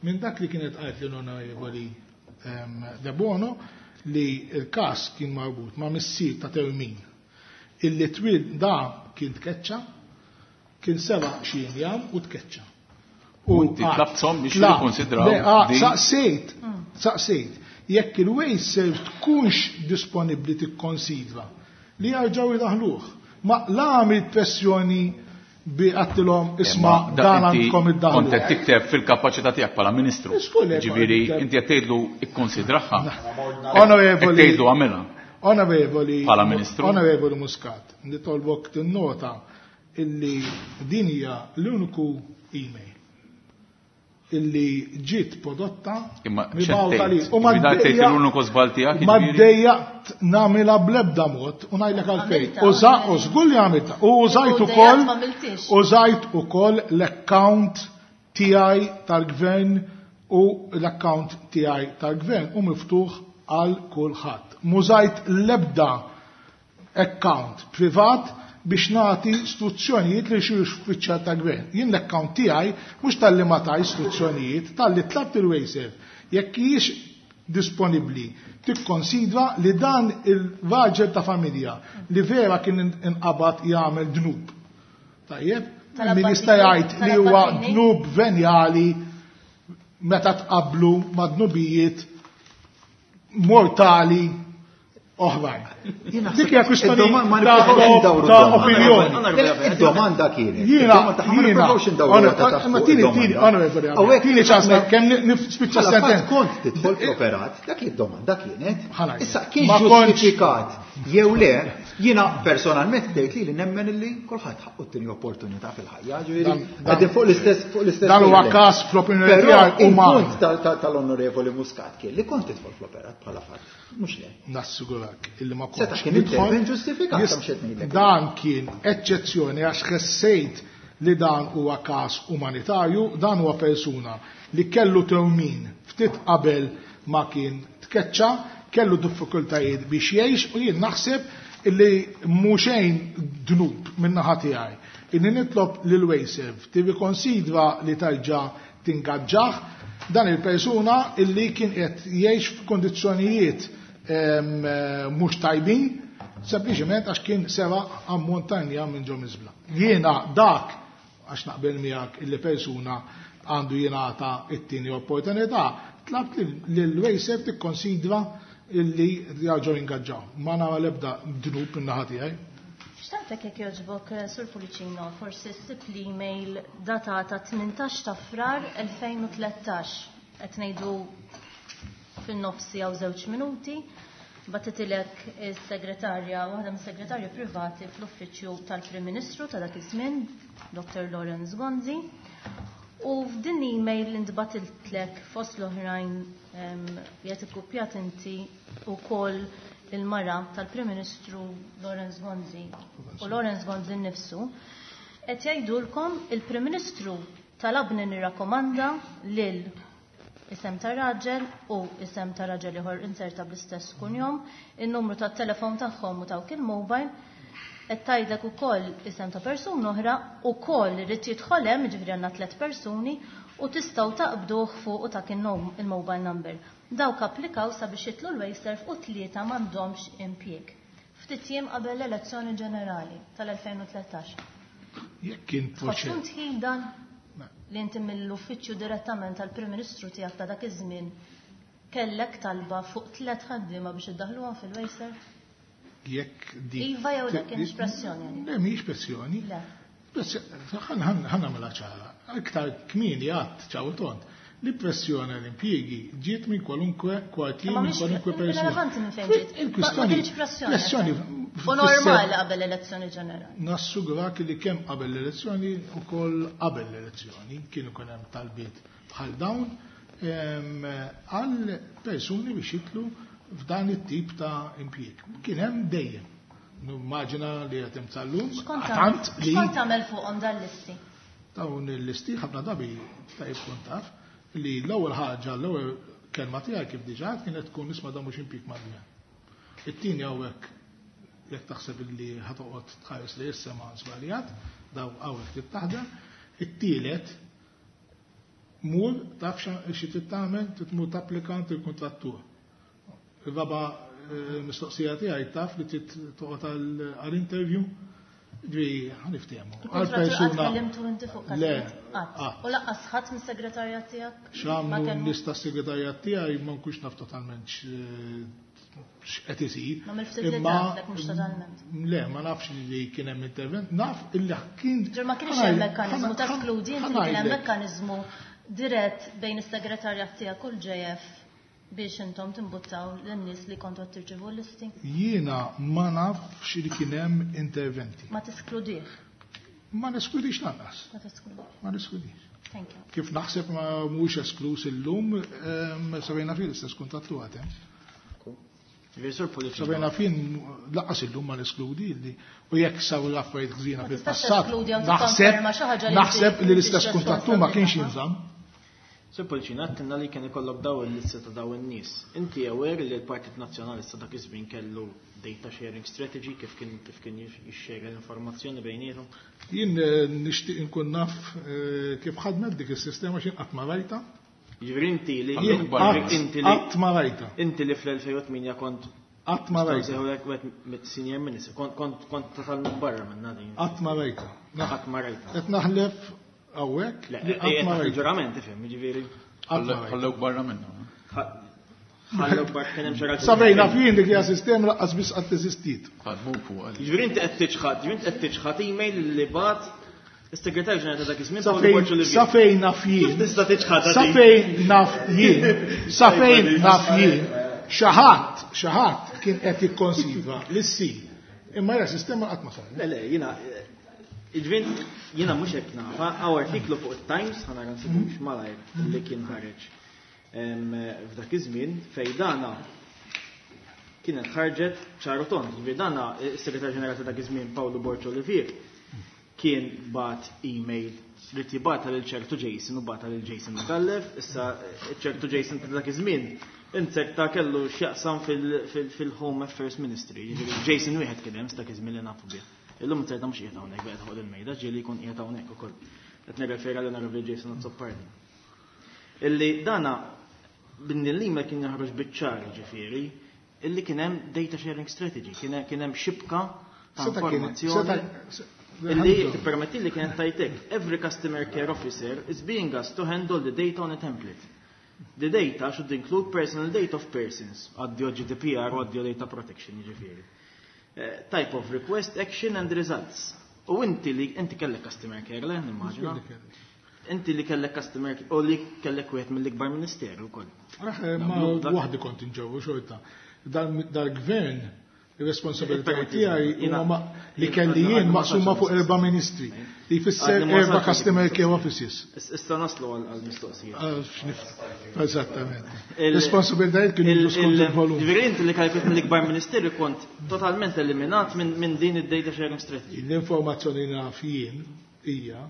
minn dak li kienet qalt l-onorevoli De Bono li l-każ kien marbut ma' missier ta' Termin illi twil da kien tkeċċa, kien seba' xi injam u tkeċċa. U inti tlabthom biex jikkonsidraw. Saqsejt, saqsejt, Jekk il-WasteServ tkunx disponibbli tikkonsidra li jarġgħu jdaħluh. Ma la għamilt pressjoni bi għattilhom isma' dan għandkom iddaħlu. Kont qed tikteb fil-kapaċità tiegħek bħala ministru. Ġifieri inti qed tgħidlu ikkonsidraha. Onorevoli. Tgħidlu għamilha. Onorevoli. Bħala ministru. Onorevoli Muscat, nitolbok tinnota illi din hija l-uniku email illi ġiet prodotta mibgħuta li. U ma l-uniku żball tiegħek. Ma ddejjaqt nagħmilha bl-ebda mod u ngħidlek għalfejn. Uża u żgur li għamiltha. U użajt ukoll użajt ukoll l-account tiegħi tal-gvern u l-account tiegħi tal-gvern u miftuħ għal kulħadd. Mużajt l-ebda account privat biex nagħti istruzzjonijiet li xi uffiċjal ta' gvern. Jien l-account tiegħi mhux talli ma ta' istruzzjonijiet, talli tlabt il-WasteServ. Jekk hijiex disponibbli tikkonsidra li dan il-raġel ta' familja li vera kien inqabad jagħmel dnub. Tajjeb, min jista' jgħid li huwa dnub venjali meta tqablu ma' dnubijiet mortali oħrajn. Dik hija kwistjoni ta' opinjoni. Id-domanda kienet. Jiena, jiena, ma tieni, tieni, onorevoli, tieni ċans kemm nispiċċa sentenza. Kont tidħol fl-operat, dak id-domanda kienet. Issa kien ġustifikat jew le, jiena personalment tgħid li nemmen illi kulħadd ħaqqu t-tieni opportunità fil-ħajja, ġifieri qegħdin fuq l-istess fuq l-istess. Dan huwa każ fl-opinjoni tiegħi uman. Il-punt tal-onorevoli Muscat kien li kont tidħol fl-operat bħala fatt. Mhux le. Nassigurak illi ma kontx. Seta' kien intervent ġustifikat mhux qed ngħidlek. Dan kien eċċezzjoni għax ħessejt li dan huwa każ umanitarju, dan huwa persuna li kellu tewmin ftit qabel ma kien tkeċċa, kellu diffikultajiet biex jgħix u jien naħseb illi mhux xejn dnub min-naħa tiegħi. Inni nitlob lil WasteServ tirrikonsidra li tarġa' tingaġġah dan il-persuna illi kien qed jgħix f'kondizzjonijiet mhux tajbin, sempliċement għax kien sera ammont ta' injam minn ġo miżbla. Jiena dak għax naqbel miegħek illi persuna għandu jingħata t-tieni opportunità, tlabt lil WasteServ tikkonsidra illi jarġgħu jingaġġaw. Ma nara l-ebda dnub min-naħa tiegħi. Xtaqtek jekk jogħġbok, Sur Pullicino, forsi ssib l-email datata tmintax ta' Frar elfejn u tlettax, qed ngħidu fin-nofsi jew żewġ minuti, batitilek is-segretarja, waħda mis-segretarji privati fl-uffiċċju tal-Prim Ministru ta' dak iż-żmien, Doktor Lawrence Gonzi. U f'din l-email li ntbatiltlek fost l-oħrajn li qed ikkupjat inti wkoll il-mara tal-Prim Ministru Lawrence Gonzi u Lawrence Gonzi nnifsu, qed jgħidulkom il-Prim Ministru talabni nirrakkomanda lil isem ta' raġel u isem ta' raġel ieħor inserta bl-istess kunjom, in-numru tat-telefon tagħhom u tawk il-mobile, qed tgħidlek ukoll isem ta' persuna oħra ukoll irid jidħol hemm, jiġifieri għandna tliet persuni, u tistgħu taqbduh fuq u dak il-mobile number. Dawk applikaw sabiex jitlu l-WasteServ u tlieta m'għandhomx impjieg. Ftit jiem qabel l-elezzjoni ġenerali tal-elfejn u tlettax. Jekk kien proċess. Tħoss dan li inti mill-uffiċċju direttament tal-Prim Ministru tiegħek ta' dak iż-żmien kellek talba fuq tliet ħaddiema biex iddaħluhom fil-WasteServ? Jekk di. Iva jew dak kienx pressjoni? Le, mhijiex pressjoni. Le. Ħa nagħmilha ċara. Iktar kmieni għadd ċaw tont. Li pressjoni l-impjiegi ġiet minn kwalunkwe kwartier, minn kwalunkwe persuna. Relevanti minn fejn ġiet. Il-kwistjoni. Pressjoni. U normali qabel l-elezzjoni ġenerali. Nassugurak li kemm qabel l-elezzjoni u koll qabel l-elezzjoni kienu kien hemm talbiet bħal dawn għal persuni biex jitlu f'dan it-tip ta' impjieg. Kien hemm dejjem. Nimmaġina li qed hemm tal-lum. X'kont x'kont tagħmel fuqhom dan l-listi? Dawn il-listi ħafna drabi tajjeb kont taf li l-ewwel ħaġa, l-ewwel kelma tiegħi kif diġà kienet tkun isma' dan mhux impjieg mal-gvern. It-tieni hawnhekk jekk taħseb li ħatoqgħod tħares li issa ma żbaljat, daw hawnhekk trid taħdem. It-tielet mur taf xi trid tagħmel, trid tmur tapplika il-kuntrattur. Il-raba' mistoqsija tiegħi taf li trid toqgħod għall-interview. Ġifieri ħa niftehmu. Għal persuna. Tkellimtu inti fuq Le. U lanqas ħadd mis-segretarjat tiegħek? X'għamlu nies tas-segretarjat tiegħi ma nkunx naf totalment x'qed isir. Ma mill-ftit li taf mhux totalment. Le, ma nafx li kien hemm intervent, naf illi kien. Ġer ma kienx hemm mekkaniżmu ta' skludi, inti kien hemm mekkaniżmu dirett bejn is-segretarjat tiegħek u l-J F biex intom timbuttaw lin-nies li kontu qed tirċievu l-listi? Jiena ma nafx li kien hemm interventi. Ma teskludih? Ma neskludix lanqas. Ma teskludix. Ma neskludix. Thank you. Kif naħseb ma mhuwiex esklus illum, sa fejn naf l-istess kuntattu għad hemm. Sa fejn naf lanqas illum ma neskludi li u jekk saru l-affarijiet ħżiena fil-passat. Naħseb naħseb li l-istess kuntattu ma kienx jinżamm. Sur Pullicino, għedtilna li kien ikollok daw il-lista ta' daw in-nies. Inti aware li l-Partit Nazzjonalista dak iż-żmien kellu data sharing strategy, kif kien kif kien jixxerja l-informazzjoni bejniethom? Jien nixtieq inkun naf kif ħadmet dik is-sistema x'in qatt ma rajta. Jiġifieri inti li inti li qatt ma rajta. Inti li fl-elfejn u tmienja kont qatt ma rajta. Senior minister, kont kont kont totalment barra minn din. Qatt ma rajta. Qatt ma rajta. Qed naħlef hawnhekk li qatt ma rajta. Ġurament ifhem, jiġifieri. Ħallewk barra minnu. Ħallewk barra kien hemm xi raġuni. Sa fejn naf jien dik hija sistema lanqas biss qatt eżistiet. Ħadmu fuq. Jiġifieri inti qed tiċħad, jiġifieri inti qed tiċħad email li bagħat is-segretarju ġenerali ta' dak iż-żmien Paolo Borg Olivier. Sa fejn naf jien. Kif tista' tiċħad Sa fejn naf jien. Sa fejn naf jien. Xi ħadd, xi ħadd kien qed jikkonsidra li ssir. Imma hija sistema qatt ma saret. Le, le, jiena Iġvin, jiena mhux hekk nafa, hawn artiklu fuq it-Times, ħa nara nsibux malajr li kien ħareġ f'dak iż-żmien fejn dana kienet ħarġet ċaru tond. Ġifieri dana is-Segretarju Ġenerali ta' dak iż-żmien Paolo Borg Olivier kien bagħat email li jibgħatha lil ċertu Jason u bagħatha lil Jason Micallef, issa ċertu Jason ta' dak iż-żmien inzerta kellu x'jaqsam fil-Home Affairs Ministry. Ġifieri Jason wieħed kien hemm dak iż-żmien li nafu bih. Illum inzerta mhux qiegħed hawnhekk qiegħed fuq il-mejda, ġieli jkun qiegħed hawnhekk ukoll. Qed nirrefera lil Onorevoli Jason Azzopardi. Illi dana bin l-email kien jaħroġ biċ-ċar, ġifieri, illi kien hemm data sharing strategy, kien hemm xibka ta' informazzjoni illi tippermetti li kienet tajtek. Every customer care officer is being asked to handle the data on a template. The data should include personal data of persons, addio G D P R u addio data protection, ġifieri. Type of request, action and results. U inti li inti kellek customer care, le, nimmaġina? Inti li kellek customer care, u li kellek wieħed mill-ikbar ministeru wkoll. Ma waħdi kont inġewwu xorta. Dal-gvern ir-responsabilità tiegħi huma li kelli jien maqsuma fuq erba' ministri. Li jfisser erba' customer care offices. Issa naslu għall-mistoqsija. Eżattament. Responsabilitajiet kienu skont il-volum. Ġifieri inti li kellek mill-ikbar ministeru kont totalment eliminat minn din id-data sharing strategy. L-informazzjoni naf jien hija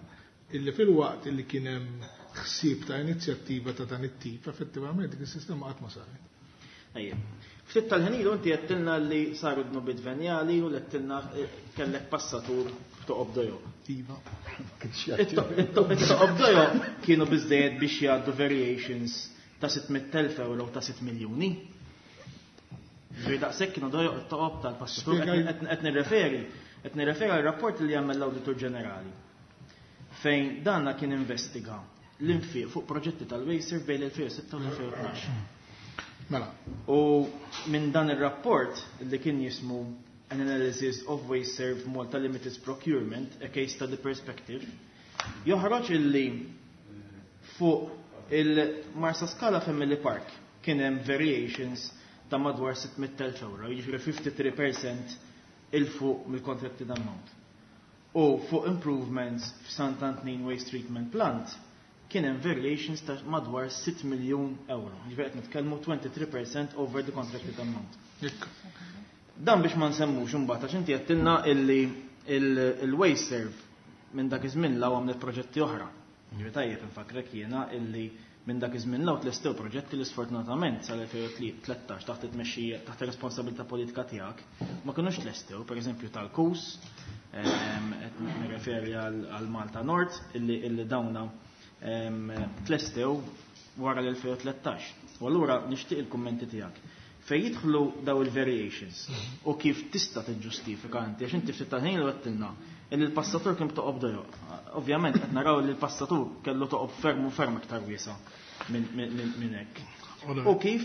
illi fil-waqt illi kien hemm ħsieb ta' inizjattiva ta' dan it-tip, effettivament dik is-sistema qatt ma saret. Ejja. Ftit tal-ħin ilu inti għedtilna li saru dnubiet venjali u għedtilna kellek passatur toqob dojoq. Iva. It-toqob dojoq kienu biżżejjed biex jgħaddu variations ta' sitt mitt elf euro ta' sitt miljuni. Ġifieri daqshekk kienu dojoq it-toqob tal-passatur. Qed nirreferi, qed nirreferi għal rapport li jagħmel l-Awditur Ġenerali, fejn danna kien investiga l-infiq fuq proġetti tal-WasteServ bejn l-elfejn u sitta u l-elfejn u tnax. Mela. U minn dan ir-rapport li kien jismu An Analysis of WasteServ Malta Limited's Procurement, a Case Study Perspective, joħroġ illi fuq il-Marsa Scala Family Park kien hemm variations ta' madwar sitt mitt elf euro, jiġifieri tlieta u ħamsin fil-mija 'il fuq mill-contracted amount. U fuq improvements f'Sant Antnin Waste Treatment Plant kien hemm variations ta' madwar sitt miljun euro. Jiġifieri qed nitkellmu tlieta u għoxrin fil-mija over the contracted amount. Dan biex ma nsemmux imbagħad għax inti għedtilna illi il-WasteServ minn dak iż-żmien 'l hawn għamlet proġetti oħra. Ġifieri tajjeb infakrek jiena illi minn dak iż-żmien 'l hawn tlestew proġetti li sfortunatament sal-elfejn u tlettax taħt it-tmexxija, taħt ir-responsabilità politika tiegħek ma kinux tlestew, pereżempju tal-Kus, qed nirreferi għal Malta Nord illi illi dawna tlestew wara l-elfejn u tlettax. U allura nixtieq il-kummenti tiegħek. Fejn jidħlu daw il-variations u kif tista' tiġġustifika inti, għax inti ftit tal-ħin għedtilna illi l-passatur kien b'toqob dojoq. Ovvjament qed naraw li l-passatur kellu toqob ferm u ferm iktar wiesa' minn hekk. U kif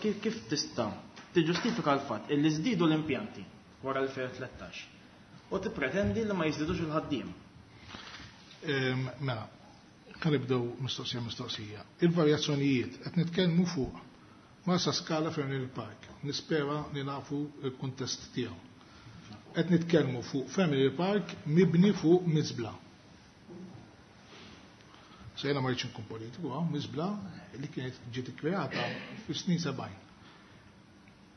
kif tista' tiġġustifika l-fatt illi żdiedu l-impjanti wara elfejn u tlettax u tippretendi li ma jiżdidux il-ħaddiem. Mela, kan nibdew mistoqsija mistoqsija. Il-varjazzjonijiet qed nitkellmu fuq Marsa Scala Family Park. Nispera li nafu il-kuntest tiegħu. Qed nitkellmu fuq Family Park mibni fuq miżbla. Sejna ma rridx inkun politiku, miżbla li kienet ġiet ikkreata fis-snin sebgħin.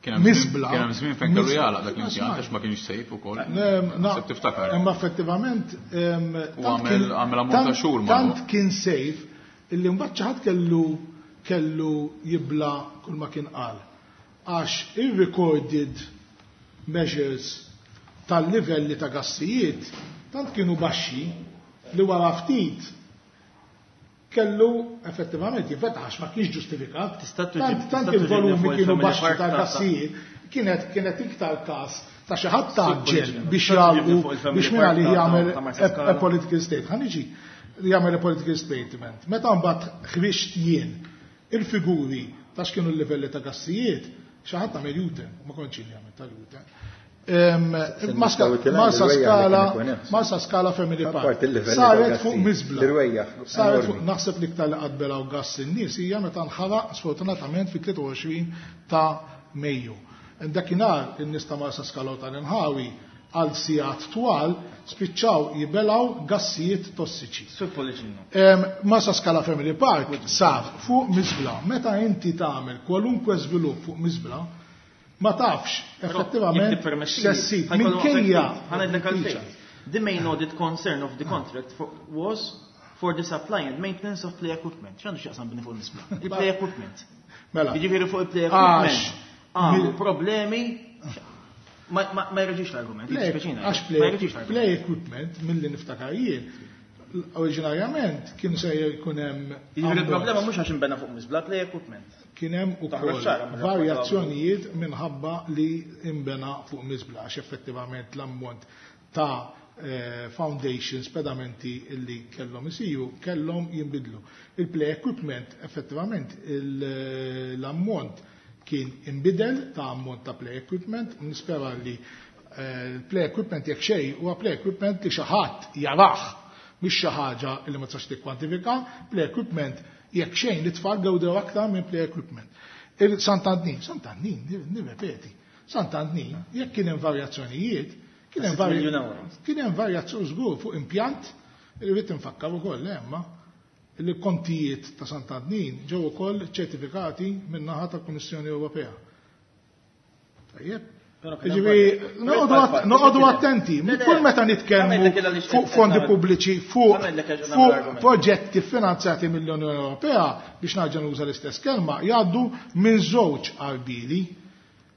Miżbla. Kien hemm żmien fejn kellu jagħlaq dak l-impjant għax ma kienx sejf ukoll. Naħseb tiftakar. Imma effettivament u għamel ammont ta' xhur tant kien sejf illi mbagħad xi ħadd kellu kellu jibla kull ma kien qal. Għax ir-recorded measures tal-livelli ta' gassijiet tant kienu baxxi li wara ftit kellu effettivament jinfetaħ għax ma kienx ġustifikat. Tant il-volumi kienu baxxi ta' gassijiet kienet kienet iktar każ ta' xi ħadd taġġel biex jagħlqu biex minn għalih jagħmel a political state. Ħa niġi jagħmel a political statement. Meta mbagħad ħriġt jien il-figuri ta' x'kienu l-livelli ta' gassijiet, xi ħadd għamel U-turn, ma kontx jien jagħmel tal-U-turn. Marsa Scala, Marsa Scala Family Park. Saret fuq miżbla. Saret fuq naħseb li iktar li qatt belaw gass in-nies hija meta nħaraq sfortunatament fit-tlieta u għoxrin ta' Mejju. Dakinhar in-nies ta' Marsa Scala u tal-inħawi għal sigħat twal spiċċaw jibelaw gassijiet tossiċi. Marsa Scala Family Park sar fuq miżbla. Meta inti tagħmel kwalunkwe żvilupp fuq miżbla, ma tafx effettivament x'essib minkejja. The main audit concern of the contract was for the supply and maintenance of play equipment. X'għandu x'jaqsam bini fuq miżbla? Il-play equipment. Mela. Jiġifieri fuq il-play equipment. Għamlu problemi. Ma jreġix l-argument, għax play equipment mill-li niftakar jien, oriġinarjament kien se jkun hemm. Il-problema mhux għax inbena fuq miżbla, play equipment. Kien hemm ukoll varjazzjonijiet minħabba li inbena fuq miżbla għax effettivament l-ammont ta' foundations, pedamenti illi kellhom isiru, kellhom jinbidlu. Il-play equipment effettivament l-ammont kien imbidel ta' ammont ta' play equipment, nispera li play equipment jekk xejn huwa play equipment li xi ħadd jarah, mhix xi ħaġa li ma tistax tikkwantifika, play equipment jekk xejn li tfal gawdew aktar minn play equipment. Il-Sant'Antnin, Sant'Antnin, nirrepeti, Sant'Antnin, jekk kien hemm varjazzjonijiet, kien hemm varjazzjoni żgur fuq impjant, irrid infakkar ukoll hemm il-kontijiet ta' Sant'Antnin ġew ukoll ċertifikati min-naħa tal-Kummissjoni Ewropea. Tajjeb. Ġifieri noqogħdu attenti, kull meta nitkellmu fuq fondi pubbliċi, fuq proġetti finanzjati mill-Unjoni Ewropea, biex nerġa' nuża l-istess kelma, jgħaddu minn żewġ arbili.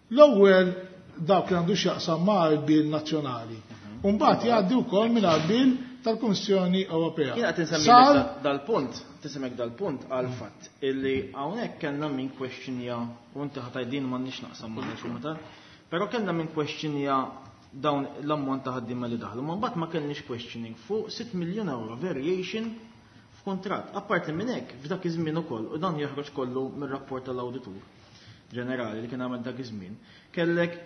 L-ewwel dawk li għandu x'jaqsam ma' arbil nazzjonali. U mbagħad jgħaddi wkoll minn arbil tal-Kummissjoni Ewropea. Jiena qed insemmi dal-punt, tisemek dal-punt għal fatt illi hawnhekk kellna min kwestjonja u inti ħa tgħidin m'għandniex naqsam mal-kumitat, però kellna min kwestjonja dawn l-ammont ta' ħaddiema li daħlu, ma mbagħad ma kellniex questioning fuq sitt miljun euro variation f'kuntratt. Apparti minn hekk f'dak iż-żmien ukoll, u dan joħroġ kollu mir-rapport tal-Awditur Ġenerali li kien għamel dak iż-żmien, kellek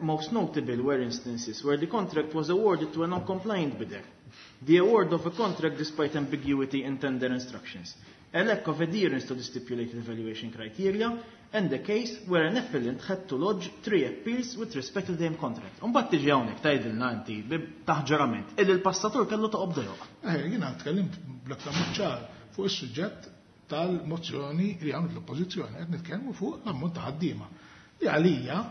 most notable were instances where the contract was awarded to a non-compliant bidder. The award of a contract despite ambiguity in tender instructions, a lack of adherence to the stipulated evaluation criteria, and the case where an appellant had to lodge three appeals with respect to the same contract. Umbagħad tiġi hawnhekk tgħidilna inti taħġarament illi l-passatur kellu toqob dojoq. Eh, jiena tkellimt bl-aktar mod ċar fuq is-suġġett tal-mozzjoni li għamlet l-oppożizzjoni, qed nitkellmu fuq l-ammont ta' ħaddiema. Li għalija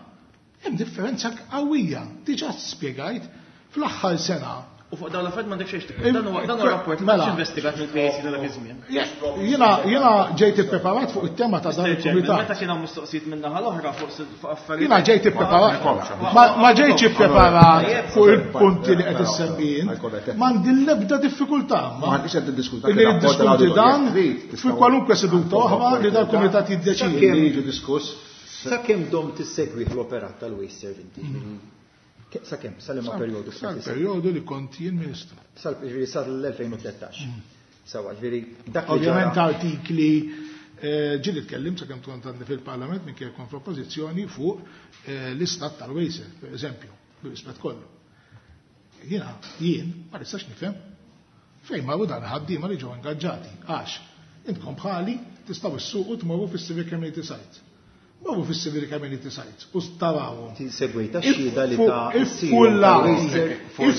hemm differenza qawwija, diġà spjegajt fl-aħħar sena. U fuq dawn l-affarijiet m'għandek xejn x'tikber. Dan huwa dan huwa rapport li mhux investigat mill-P A C ta' dak iż-żmien. Jiena jiena ġejt ippreparat fuq it-tema ta' dan il-kumitat. Meta kien hawn mistoqsijiet min-naħa l-oħra fuq affarijiet. Jiena ġejt ippreparat. Ma ġejtx ippreparat fuq il-punti li qed issemmi int. M'għandi l-ebda diffikultà. Ma għandix qed niddiskuti dan fi kwalunkwe seduta oħra li dal-kumitat jiddeċidi. Kemm jiġu diskuss Sakemm dom tissegwi l-operat tal-Wasteserv inti? Sakemm, sal-liema perjodu? Sal-perjodu li kont jien ministru. Sal-ġifieri sal-elfejn u tlettax. Sawa, ġifieri dak li Ovvjament artikli ġieli tkellimt sakemm kont għandi fil-Parlament minn kien kont fl-oppożizzjoni fuq l-istat tal-Wasteserv, per eżempju, bil-rispett kollu. Jiena, jien ma nistax nifhem fejn marru dan ħaddiema li ġew ingaġġati, għax intkom bħali tistgħu issuqu tmorru fis-Civic Community Site. Morru fis-Civic Community Site u tarawhom. Segwejta x-xhieda li ta'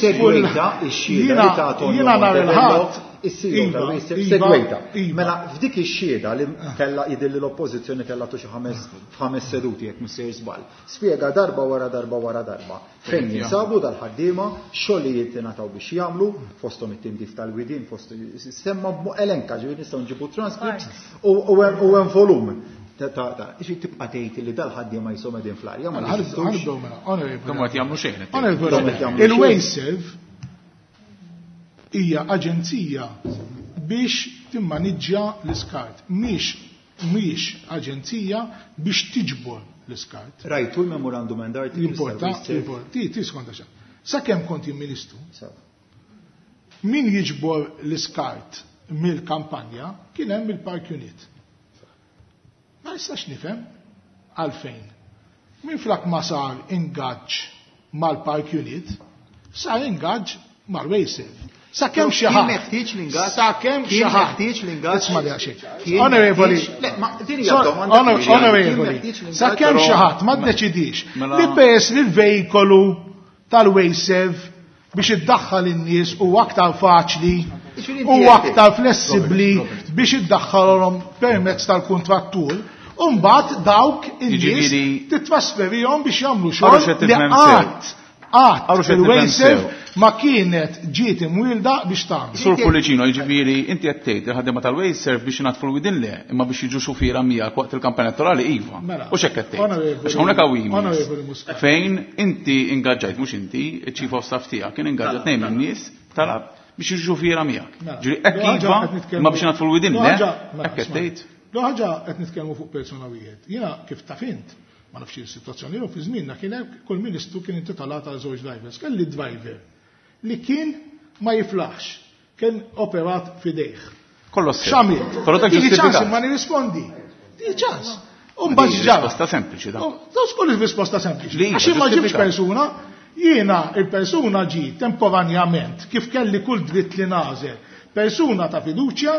segwejta x-xhieda li ta' Tonio Montebello, is-C E O tal-Wasteserv, segwejta. Mela f'dik ix-xhieda li kellha jidhirli l-oppożizzjoni kellha tu xi ħames f'ħames seduti jekk mhux sejjer żball. Spjega darba wara darba wara darba fejn jinsabu dal-ħaddiema, xogħlijiet ingħataw biex jagħmlu, fosthom it-tindif tal-widien, fost semma elenka, ġifieri nistgħu nġibu transcripts u hemm volum. Ġifieri tibqa' tgħid li dal-ħaddiema jisom qegħdin fl-arja, ma jeżistux. Dom qed jagħmlu xejn. Il-Wasteserv hija aġenzija biex timmaniġġja l-iskart, mhix mhix aġenzija biex tiġbor l-iskart. Rajtu l-memorandum and articles. Importa, importa. Ti, ti skonta xa. Sakemm kont jien ministru, min jiġbor l-iskart mill-kampanja kien hemm il-Park Unit. Ma nistax nifhem għalfejn. Min flak ma sar ingaġġ mal-Park Unit, sar ingaġġ mal-Wasteserv. Sakemm xi ħadd. Kien meħtieġ l-ingaġġ? Sakemm xi Kien ħadd. meħtieġ l-ingaġġ? Isma' li għaxej. Kien Onorevoli. meħtieġ- Le, ma din hija Sor- domanda onor- kbira. Onorevoli. Kien meħtieġ l-ingaġġ? Sakemm xi Però- ħadd ma ddeċidix Mela- li peress li l-vejkolu tal-Wasteserv biex iddaħħal in-nies u aktar faċli Jiġifieri u inti qed aktar flessibbli Robert, Robert. biex iddaħħalhom permezz tal-kuntrattur, u mbagħad dawk in-nies Jiġifieri- titrasferihom biex jagħmlu Għarru xogħol x'qed li tifhem sew. qatt qatt Għarru x'qed tifhem il-Wasteserv sew. ma kienet ġiet imwielda biex tagħmel. Sur Pullicino, jiġifieri inti qed tgħid il-ħaddiema tal-Wasteserv biex ingħatfu l-widin le, imma biex jiġu xufiera miegħek waqt il-kampanja elettorali iva. Mela, U x'hekk qed tgħid? Onorevoli- Għax hawnhekk hawn emails. Onorevoli Muscat. Fejn inti ingaġġajt, mhux inti, il-Chief of Staff tiegħek kien ingaġġat tnejn min-nies talab biex jiġu xufiera miegħek. Mela, Ġifieri hekk l ħaġa iva, qed nitkellmu- imma biex ingħatfu l-widin l le, ħaġa- mela, hekk qed isma' tgħid. L ħaġa qed nitkellmu fuq persuna wieħed. Jiena kif taf int, ma nafx is-sitwazzjoni jew fi żmienna kien hemm kull ministru kien intitolat għal żewġ drivers. Kelli driver li kien ma jiflaħx, kien operat fidejh. Kollu sew. X'għamilt? Però dak Tieni ċans ġustifikat. imma nirrispondi. Tieni ċans. U Ma mbagħad din ġara. risposta sempliċi da. U daw skol risposta sempliċi. Li iva, Għax ma ġibx ġustifikat. persuna, jiena il-persuna ġi temporanjament kif kelli kull dritt li nagħżel, persuna ta' fiduċja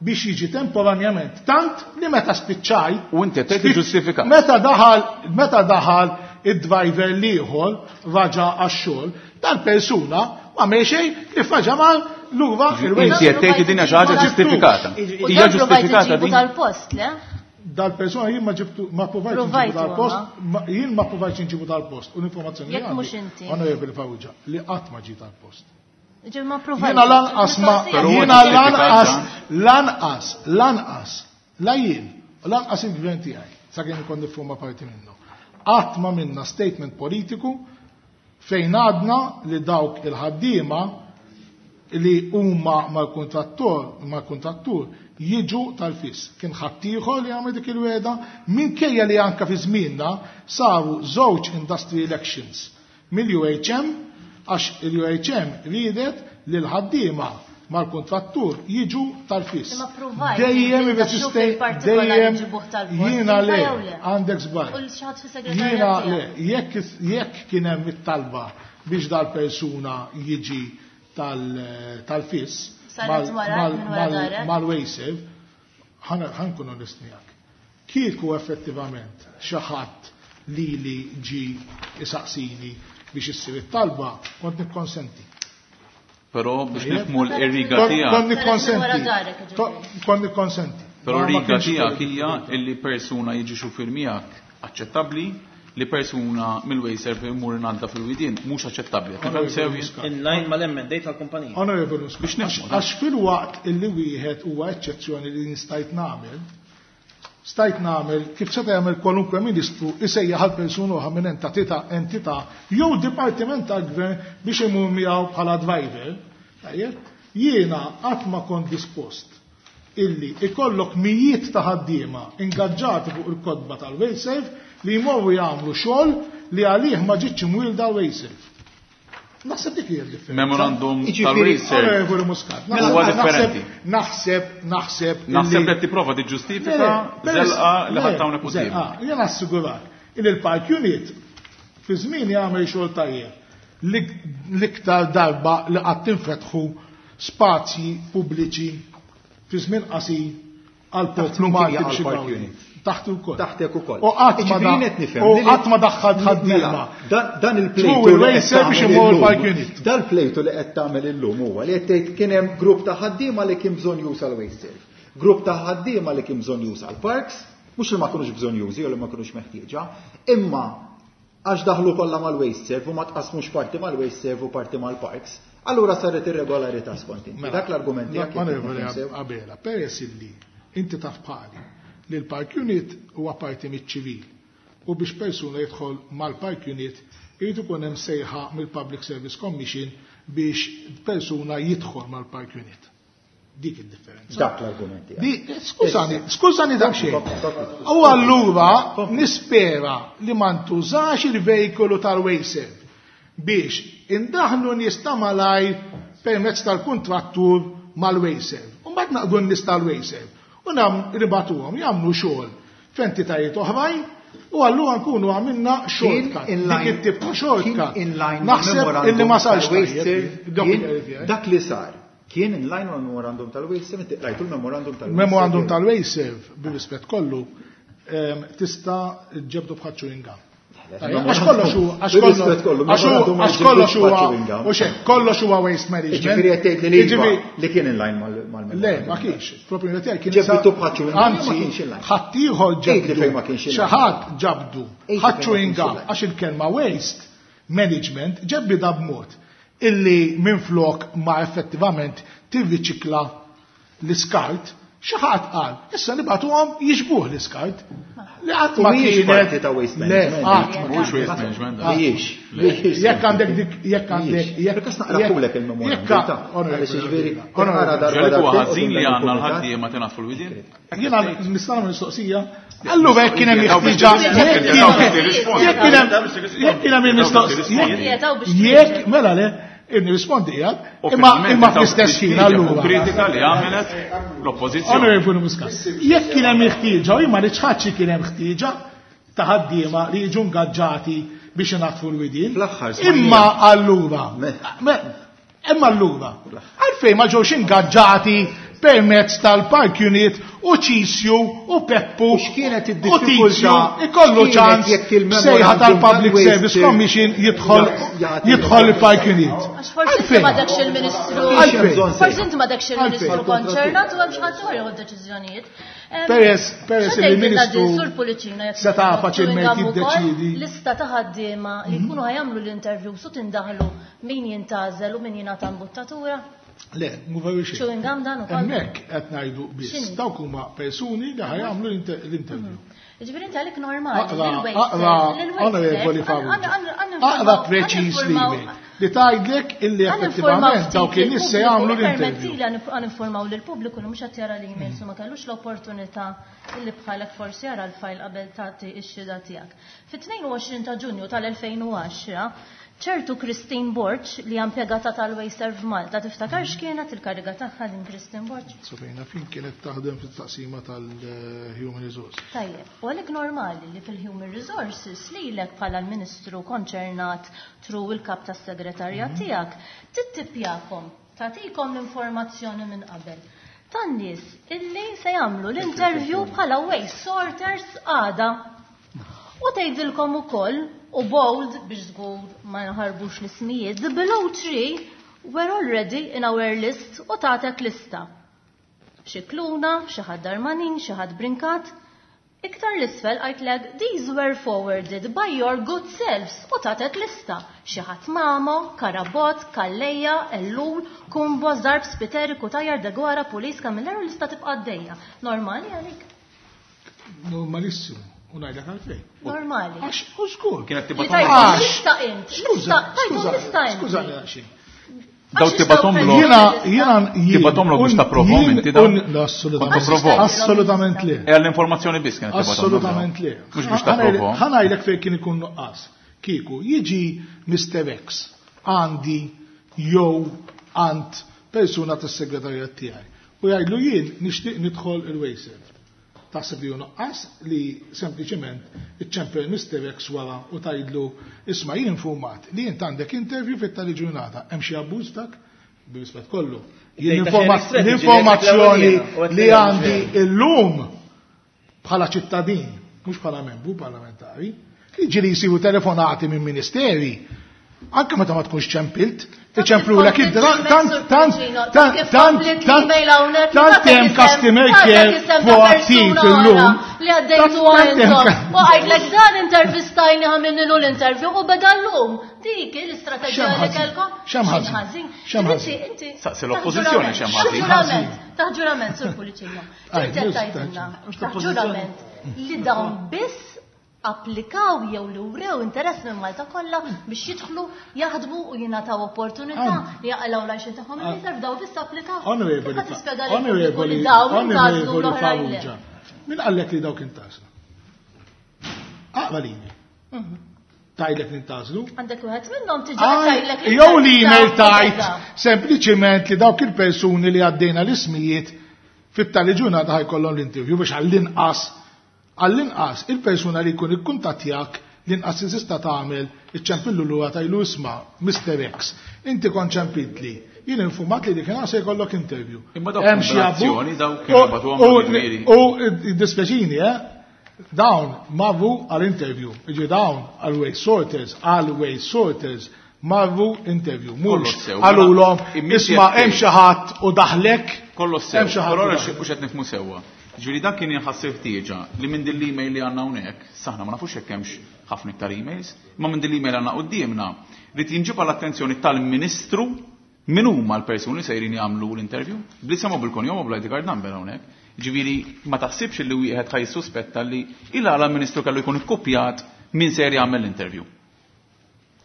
biex jiġi temporanjament tant li meta spiċċaj. U inti qed tgħid ġustifikat. Meta daħal, meta daħal id-driver l-ieħor raġa għax-xogħol, tal-persuna ma xejn li faġa mal lura il-Wasteserv. Inti qed tgħid li din hija xi ħaġa ġustifikata. U Hija dan provajt ġustifikata iġibu din? tal-post, le? Dal-persuna jien ma ġibtu, ma provajt nġibu Provajtu, dal-post, ma? ma- jien ma provajt nġibu dal-post. U l-informazzjoni Jekk li mhux għandi, inti. Onorevoli Farrugia, li qatt ma ġi tal-post. Ġifieri ma provajt. Jiena lanqas ma, Mistoqsija. Però jiena ġustifikat lanqas, dan. lanqas, lanqas, la jien, u lanqas il-gvern tiegħi, sakemm ikun nifforma parti minnu. Qatt ma minna statement politiku fejn għadna li dawk il-ħaddiema li huma mal-kontrattur, mal-kontrattur jiġu tal-fis. Kien ħaddieħor li għamel dik il-weda, minkejja li anka fi żmienna saru żewġ industry elections mill-U H M, għax il-U H M riedet li l-ħaddiema mal-kontrattur jiġu tal-fis. Imma provajt, Dejjem inti irreżistej, xuf il-partikolari dejjem ġibuh tal-post, jiena inta le, jew le? għandek żball. U l-xi ħadd fis-segretarjat Jiena tiegħek. le, jekk, jekk kien hemm it-talba biex dal-persuna jiġi tal-, tal-fis, Saret mal- wara, mal- minn wara mal- darek? mal-Wasteserv, ħan-, ħankun onest miegħek. Kieku effettivament xi ħadd li li ġi isaqsini biex issir it-talba, kont nikkonsenti. Però biex Tajjeb. nifhmu l-irriga Kont- tiegħek. Kont nikkonsenti. Wara darek, ġifieri. To-, Kont nikkonsenti. Però Ma- ma r-riga kienx tiegħek kelli hija diffikultà. illi persuna jiġi xufier miegħek aċċettabbli, li persuna mill-Wasteserv imur ingħadda fil-widien mhux aċċettabbli. Tifhem sew jien? In line mal-M and A tal-kumpanija. Onorevoli Muscat, Biex nifhmu, għax fil-waqt illi wieħed huwa eċċezzjoni li nistajt nagħmel, stajt nagħmel kif seta' jagħmel kwalunkwe ministru isejjaħ għal persuna oħra minn entità, entità jew dipartiment tal-gvern biex imur miegħu bħala driver, tajjeb, jiena qatt ma kont dispost illi ikollok mijiet ta' ħaddiema ingaġġati fuq il-kotba tal-WasteServ li jmorru jagħmlu xogħol li għalih ma ġietx imwielda l-WasteServ. Naħseb dik hija d-differenza. Memorandum Jiġifieri, tal-WasteServ. Onorevoli Muscat. Huwa differenti. Naħseb, naħseb. Naħseb illi- qed tipprova tiġġustifika żelqa li ħadd hawnhekk quddiem. Jien assigurak il il-Park Unit fi żmien jagħmel xogħol tajjeb. L-iktar darba li qatt tinfetħu spazji pubbliċi fi żmien qasir għal poplu Taħt Malti min biex kien għal Park igawdi. Unit? Taħt ukoll. Taħtek ukoll. U qatt ma Jiġifieri da- qed nifhem u li- qatt ma daħħalt ħaddiema. Mela, dan- Dan il-plejtu True li qed il-WasteServ biex tagħmel imur illum- il-Park Unit. Dal-plejtu li qed tagħmel illum huwa li qed tgħid kien hemm grupp ta' ħaddiema li kien bżonn juża l-WasteServ. Grupp ta' ħaddiema li kien bżonn juża l-parks, mhux li ma kinux bżonn jużi jew li ma kinux meħtieġa, imma għax daħlu kollha mal-WasteServ u ma tqasmux parti mal-WasteServ u parti mal-parks, allura saret irregolarità skont inti. Dak l-argument tiegħek jekk Onorevoli nifhem sew. Abela, peress illi inti taf bħali li l-Park Unit huwa parti miċ-ċivil u biex persuna jidħol mal-Park Unit irid ikun hemm sejħa mill-Public Service Commission biex persuna jidħol mal-Park Unit. Dik id-differenza. Dak l-argument tiegħek. Di, skużani, skużani daqsxejn. Kompli, kompli. U allura nispera li ma ntużax il-vejkolu tal-WasteServ biex indaħlu nies ta' malajr permezz tal-kontrattur mal-WasteServ. U mbagħad naqdu n-nies tal-WasteServ. U nam ribatuhom jagħmlu xogħol f'entitajiet oħrajn u allura nkunu għamilna shortcut. in Dik line- it-tip ta' shortcut. kien in line Naħseb memorandum illi ma sarx tal-WasteServ, tajjeb. Dak kien- il-verifika. Dak li sar kien in line mal memorandum tal-WasteServ, inti qrajtu l-memorandum tal-WasteServ. Memorandum tal-WasteServ, bir-rispett kollu, ehm, tista' ġebdu bħal chewing gum. Għax kollox huwa għax Bir-rispett kollu, kollox memorandum ma għax kollox ġibdux huwa bħal chewing gum. u xek, kollox huwa waste management. Jiġifieri qed tgħid li li iva, Jiġifieri- li kien in line mal- mal-memorandum. Le, ma kienx. Propju tiegħi kien Ġebdu bħal chewing gum, ma Anzi, kienx in line. ħaddieħor Għid li fejn ma ġebdu. kienx in Xi line. ħadd ġabdu. Għid li Ħadd fejn ma chewing kienx gum in line. għax il-kelma waste management ġebbida b'mod illi minflok ma effettivament tirriċikla l-iskart, xi ħadd qal, issa nibgħatuhom jiġbuh l-iskart. Li qatt U ma mhijiex kienet. parti ta' waste Le, management. qatt ma Mhuwiex waste management. dan. Mhijiex. Mhijiex. Jekk għandek dik, jekk għandek, jekk. Perkas naqrahulek il-memorandum jekk- ta' għaliex jiġifieri Onorevoli, taqra darba Ġelik huwa darbtejn ħażin li quddiem għandna il-kumitat. l-ħaddiema tingħatfu l-widien. Jiena nista' nagħmel mistoqsija. Allura jekk kien hemm ħtieġa, jekk Jekk jekk kien hemm jekk kien hemm il-mistoqsija, jekk mela le, nirrispondi qiegħed, imma imma fl-istess ħin allura. Kritika li għamlet l-oppożizzjoni. Onorevoli Muscat, jekk kien hemm ħtieġa, u jien ma niċħadx kien hemm ħtieġa ta' ħaddiema li jiġu ngaġġati biex inaddfu l-widien. Fl-aħħar smajnija. Imma allura, me- imma allura, għalfejn ma ġewx ingaġġati permezz tal-Park Unit u Ċisju u Peppu U x'kienet u id-diffikultà? Tizju ikollu X'kienet ċans jekk il-memorandum sejħa tal-Public tal-Waste Service Commission jidħol jagħti- jidħol il-Park Unit. Għax forsi inti ma dakx il-ministru. Għalfejn? Forsi inti ma dakx il-ministru Għalfejn? konċernat u hemm xi ħadd ieħor jieħu d-deċiżjonijiet. Em, Peress- peress x'għandek il-ministru din Sur Pullicino jekk seta' jkunu faċilment chewing gum ukoll, jiddeċiedi. Lista ta' ħaddiema li jkunu ħajamlu l-interview su tindaħlu min jintgħażel u min jingħata imbuttatura. Le, mhu veru xejn. Chewing gum dan ukoll. Hemmhekk qed ngħidu biss X'inhi? dawk huma persuni li ħajamlu l-inter- l-interview. Ġifieri inti għalik normali. Aqra, lil-waste aqra, serve, lil-waste onorevoli serve, Farrugia. għan- għan- Aqra għan- preċiż għan- l-email li tgħidlek illi effettivament dawk in-nies se jagħmlu l-interview. Permettili għan informaw lill-pubbliku li mhux qed jara l-emails u ma kellux l-opportunità illi bħalek forsi jara l-fajl qabel tagħti x-xhieda tiegħek. Fit-tnejn u għoxrin ta' Ġunju tal-elfejn u għaxra, ċertu Christine Borg li impjegata tal-WasteServ Malta, tiftakar x'kienet il-kariga tagħha din Christine Borg? Sofina, fin kienet taħdem fit-taqsima tal-Human Resources. Tajjeb, u għalhekk normali li fil-Human Resources lilek bħala l-Ministru konċernat tru il-kap tas-segretarjat tiegħek tittipjakom, tagħtikom l-informazzjoni minn qabel. Tan-nies illi se jagħmlu l-interview bħala waste sorters għada. U tgħidilkom ukoll, u bold biex żgur ma nħarbux l-ismijiet, the below three were already in our list u tagħtek lista. Xi Kluna, xi ħadd Darmanin, xi ħadd Brincat. Iktar l-isfel għajtlek, these were forwarded by your good selves u tatet lista. Xi ħadd Mamo, Karabot, Calleja, Ellul, Kumbo, Zarb, Spiteri, Cutajar, Deguara, Pulis, Camilleri, u lista tibqa' għaddejja. Normali għalik? Normalissimu. U ngħidlek għalfejn. Normali. Għax, u żgur. Kienet Li tibgħat tajtu Għax. lista int. Skuża, Lista, tajtu skuża, lista int. skużani għaxin. Daw tibatomlok. Jiena jiena tibatomlok biex tapprovhom inti daw. Assolutament. Assolutament le. E għall-informazzjoni biss kienet tibatomlok. Assolutament le. Mhux biex tapprovhom. Ħa ngħidlek fejn kien ikun nuqqas. Kieku jiġi Mister X għandi jew għand persuna tas-segretarjat tiegħi u jgħidlu jien nixtieq nidħol il-WasteServ. Taħseb li hu nuqqas li sempliċement iċċempel Mister X wara u tgħidlu isma' jien informat li int għandek interview fit-tali ġurnata, hemm xi abbuż dak? Bir-rispett kollu. Jien l-informazzjoni li għandi illum bħala ċittadin, mhux bħala membru parlamentari, li ġieli jsiru telefonati minn ministeri, anke meta ma tkunx ċempilt, iċemplulek tant tant tant tant tant hemm customer care proattiv illum li għaddejtu għandhom. U għajdlek dan intervistajni għamilnilu l-interview u beda llum. Dik l-istrateġija li kellkom. X'hemm ħażin? X'hemm ħażin? Saqsi l-oppożizzjoni x'hemm ħażin. Taħt ġurament, Sur Pullicino. Inti qed tgħidilna taħt ġurament li dawn biss applikaw jew li wrew interess minn Malta kollha biex jidħlu, jaħdmu u jingħataw opportunità li jaqilgħu l-għajxin tagħhom il-interview daw biss applikaw. Onorevoli, Onorevoli Farrugia, min qallek li dawk intażlu? Aqra l-email. Tajlek nintażlu? Għandek wieħed minnhom tiġi tajlek. Jew l-email tajt sempliċiment li dawk il-persuni li għaddejna l-ismijiet fit-tali ġurnata ħajkollhom l-interview biex għall-inqas għall-inqas il-persuna li jkun ikkuntattjak l-inqas li tista' tagħmel iċċempillu lura tajlu isma' Mister X. Inti kont ċempiltli, jien infumat li dik se jkollok interview. Imma dawk kombinazzjoni dawk kienu bagħtuhom. U dispjaċini, eh? Dawn marru għall-interview. Iġi dawn għal waste sorters, għal waste sorters marru interview. Mhux qalulhom isma' hemm xi ħadd u daħlek. Kollox sew. Però mhux qed nifhmu sewwa. Ġifieri dak kien inħassib ħtieġa li minn din l-email li għandna hawnhekk, saħna ma nafux hekk hemmx ħafna iktar emails, imma minn din l-email għandna quddiemna li tinġib għall-attenzjoni tal-Ministru min huma l-persuni sejrin jagħmlu l-interview, bl-isem u bil-kunjom u bl-I D card number hawnhekk. Ġifieri ma taħsibx li wieħed ħaj jissuspetta li il għala l-Ministru kellu jkun ikkupjat min sejr jagħmel l-interview.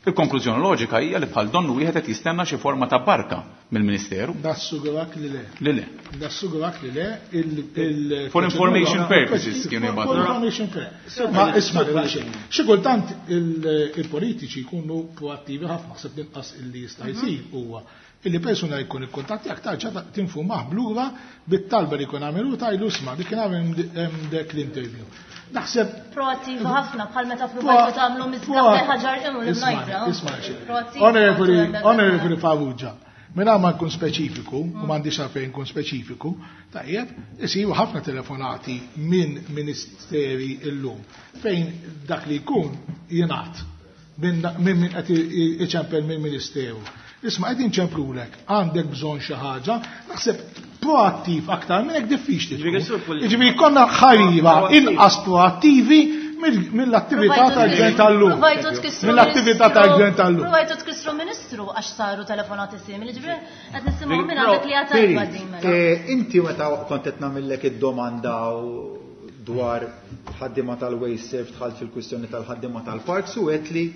Il-konklużjoni loġika hija li bħal donnu wieħed qed jistenna xi forma ta' barka mill-Ministeru. Nassugurak li le. Li le. Nassugurak li le il For information purposes kienu jibgħatu. For information purposes. Ma isma' xi kultant il-politiċi jkunu proattivi ħafna ħseb l-inqas illi jista' jsir huwa illi persuna jkun ikkuntattjak tarġa' tinfurmah blura bit-talba li jkun għamelu tajlu isma' dik kien hemm dek l-interview. Naħseb proattiva ħafna bħal meta provajtu tagħmlu miżgħa ħaġar imu l-mnajra. Isma' Onorevoli Onorevoli Farrugia, mingħajr ma nkun speċifiku u m'għandix għalfejn nkun speċifiku, tajjeb, isiru ħafna telefonati minn ministeri illum fejn dak li jkun jingħad minn min qed iċempel minn ministeru. Isma' qed inċemplulek, għandek bżonn xi ħaġa, naħseb proattiv aktar minn hekk diffiċli. Jiġifieri konna ħariba inqas proattivi mill-attività tal-gvern tal-lum. Mill-attività tal-gvern tal-lum. Provajtu tkissru ministru għax saru telefonati simili, ġifieri qed nisimgħu minn għandek li għatajba din mela. Inti meta kont qed nagħmellek id-domanda dwar ħaddiema tal-WasteServ dħalt fil-kwistjoni tal-ħaddiema tal-parks u għedt li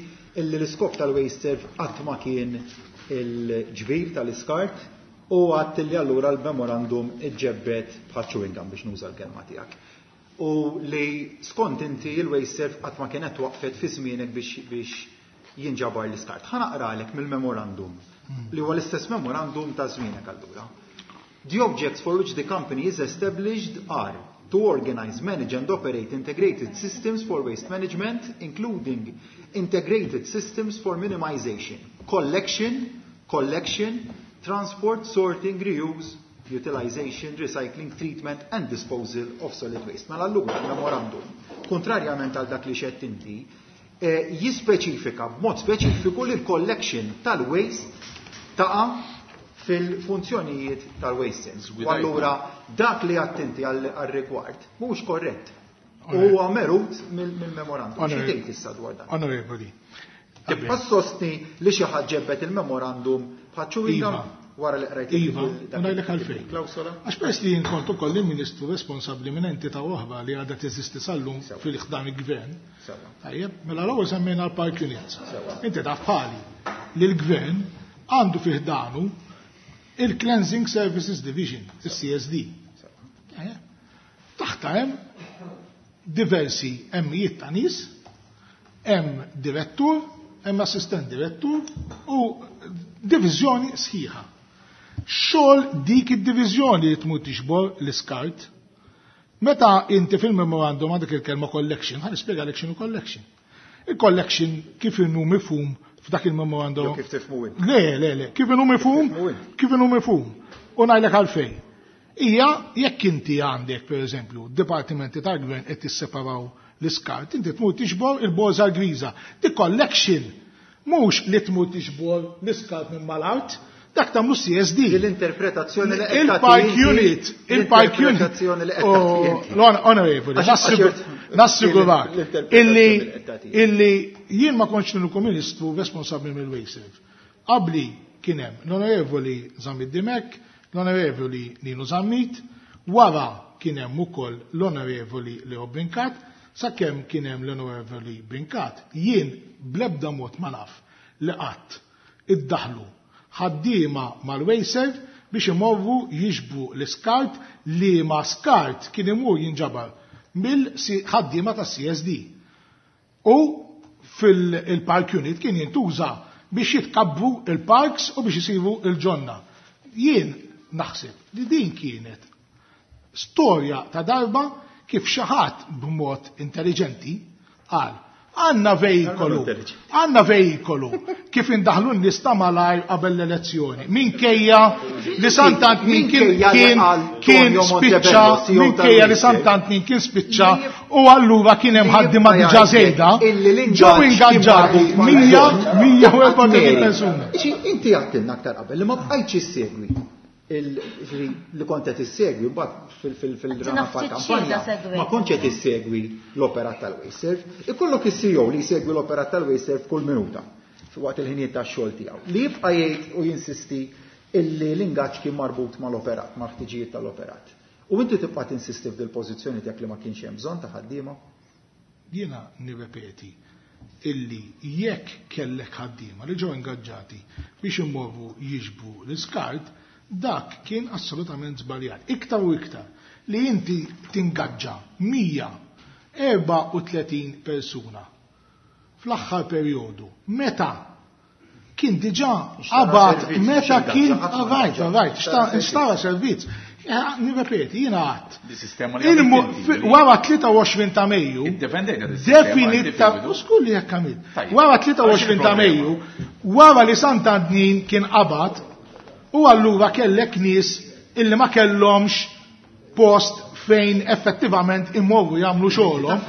l-iskop tal-WasteServ qatt ma kien il-ġbir tal-iskart u għadt li allura l-memorandum iġġebbet bħal chewing gum biex nuża l-kelma tiegħek. U li skont inti il-WasteServ qatt ma kienet waqfet fi żmienek biex biex jinġabar l-iskart. Ħa naqralek mill-memorandum li huwa l-istess memorandum ta' żmienek allura. The objects for which the company is established are to organize, manage and operate integrated systems for waste management, including integrated systems for minimization, collection, collection, transport, sorting, reuse, utilization, recycling, treatment and disposal of solid waste. Mela allura il-memorandum, kontrarjament għal dak li xed inti, eh, jispeċifika b'mod speċifiku li l-collection tal-waste taqa' fil-funzjonijiet tal-waste. U allura dak li għattinti għal-rigward mhux korrett. Huwa merut mill-memorandum. Xi tgħid issa dwar dan? Onorevoli. Tibqa' sostni li xi ħadd ġebbet il-memorandum bħal chewing gum wara li qrajt. Iva, u ngħidlek għalfejn. Għax peress li jien kont ukoll il-Ministru responsabbli minn entità oħra li għadha teżisti sal-lum fil-ħdan il-gvern. Tajjeb, mela l-ewwel semmejna l-park units. Inti taf bħali li l-gvern għandu fih danu Il-Cleansing Services Division, il-C S D. Taħta hemm diversi emmijiet ta' nies, hemm direttur, hemm assistent direttur u diviżjoni sħiħa. Xogħol dik id-diviżjoni li tmur tiġbor l-iskart. Meta inti fil-memorandum għandek il-kelma collection, ħa nispjegalek x'inhu collection. Il-collection kif inhu mifhum f'dak il-memorandum. Jew kif tifhmu int. Le, le, le, kif inhu mifhum, tifhmu int. Kif inhu mifhum. U ngħidlek għalfejn. Ija, jekk inti għandek, per eżempju, dipartimenti tal-gvern qed tisseparaw l-iskart, inti tmur tiġbor il-borża griża. Di collection, mhux li tmur tiġbor l-iskart minn mal-art, dak tagħmlu C S D. L-interpretazzjoni li qed Il-park tagħti inti- unit, il-park unit. L-interpretazzjoni li qed Oh, tagħti inti. l- Onorevoli, Għax- nassigur- għax- nassigurak l-interpretazzjoni illi li qed tagħti. Illi jien ma kontx l ministru responsabbli mill-WasteServ. Qabli kien hemm l-Onorevoli Zammit Dimech, l-Onorevoli Nino Zammit, wara kien hemm ukoll l-Onorevoli Leo Brincat, sakemm kien hemm l-Onorevoli Brincat, jien blebda mod ma naf li qatt iddaħlu ħaddiema mal-WasteServ biex imorru jiġbru l-iskart, li ma skart kien imur jinġabar mill-ħaddiema ta' C S D. U fil-park unit kien jintuża biex jitkabbu il-parks u biex jisiru il-ġonna. Jien naħseb li din kienet storja ta' darba kif xi ħadd b'mod intelligenti qal għandna vejkolu, għandna vejkolu kif indaħlu n-nies ta' malajr qabel l-elezzjoni. Minkejja li Sant'Antnin kien Minkejja li kien qal kien Tonio spiċċa, Montebello, C E O minkejja li tal-Wizz. Sant'Antnin kien spiċċa u allura kien hemm ħaddiema Li diġà żejda, illi l-ingaġġ ġew kien ingaġġati marbut mal- mija mija u erbgħa Mary, persuna. Ġi, inti għedtilna aktar qabel li ma bqajtx issegwi il- ġifieri li kont qed issegwi mbagħad fil-rana Għadtina ftit tal-kampanja xhieda segwejt. Ma kontx qed issegwi l-operat tal-WasteServ. Ikollok is-C E O li jsegwi l-operat tal-WasteServ kull minuta waqt il-ħinijiet tax-xogħol tiegħu. Li jibqa' jgħid u jinsisti illi l-ingaġġ kien marbut mal-operat, mal-ħtiġijiet tal-operat. U inti tibqa' tinsisti f'dil pożizzjoni tiegħek li ma kienx hemm bżonn ta' ħaddiema? Jiena nirrepeti illi jekk kellek ħaddiema li ġew ingaġġati biex imorru jiġbru l-iskart, dak kien assolutament żbaljat. Iktar u iktar li inti tingaġġa mija erbgħa u tletin persuna fl-aħħar perjodu meta kien diġà Xtara qabad servizz, meta mhux kien ingaġġa, ħadd ma right, ingaġġa. right, Xtara servizz. Xtara servizz. Eh, Nirrepeti, jiena għedt. Di sistema li Il-mu- għamilt inti, fi- li- Wara tlieta u għoxrin ta' Mejju, Iddefendejta dis-sistema, inti definita, fil-bidu. u skulli jekk għamilt. Tajjeb. Wara tlieta u għoxrin ta' Għax Mejju, wara li Sant'Antnin kien qabad, u allura kellek nies illi ma kellhomx post fejn effettivament imorru jagħmlu xogħolhom.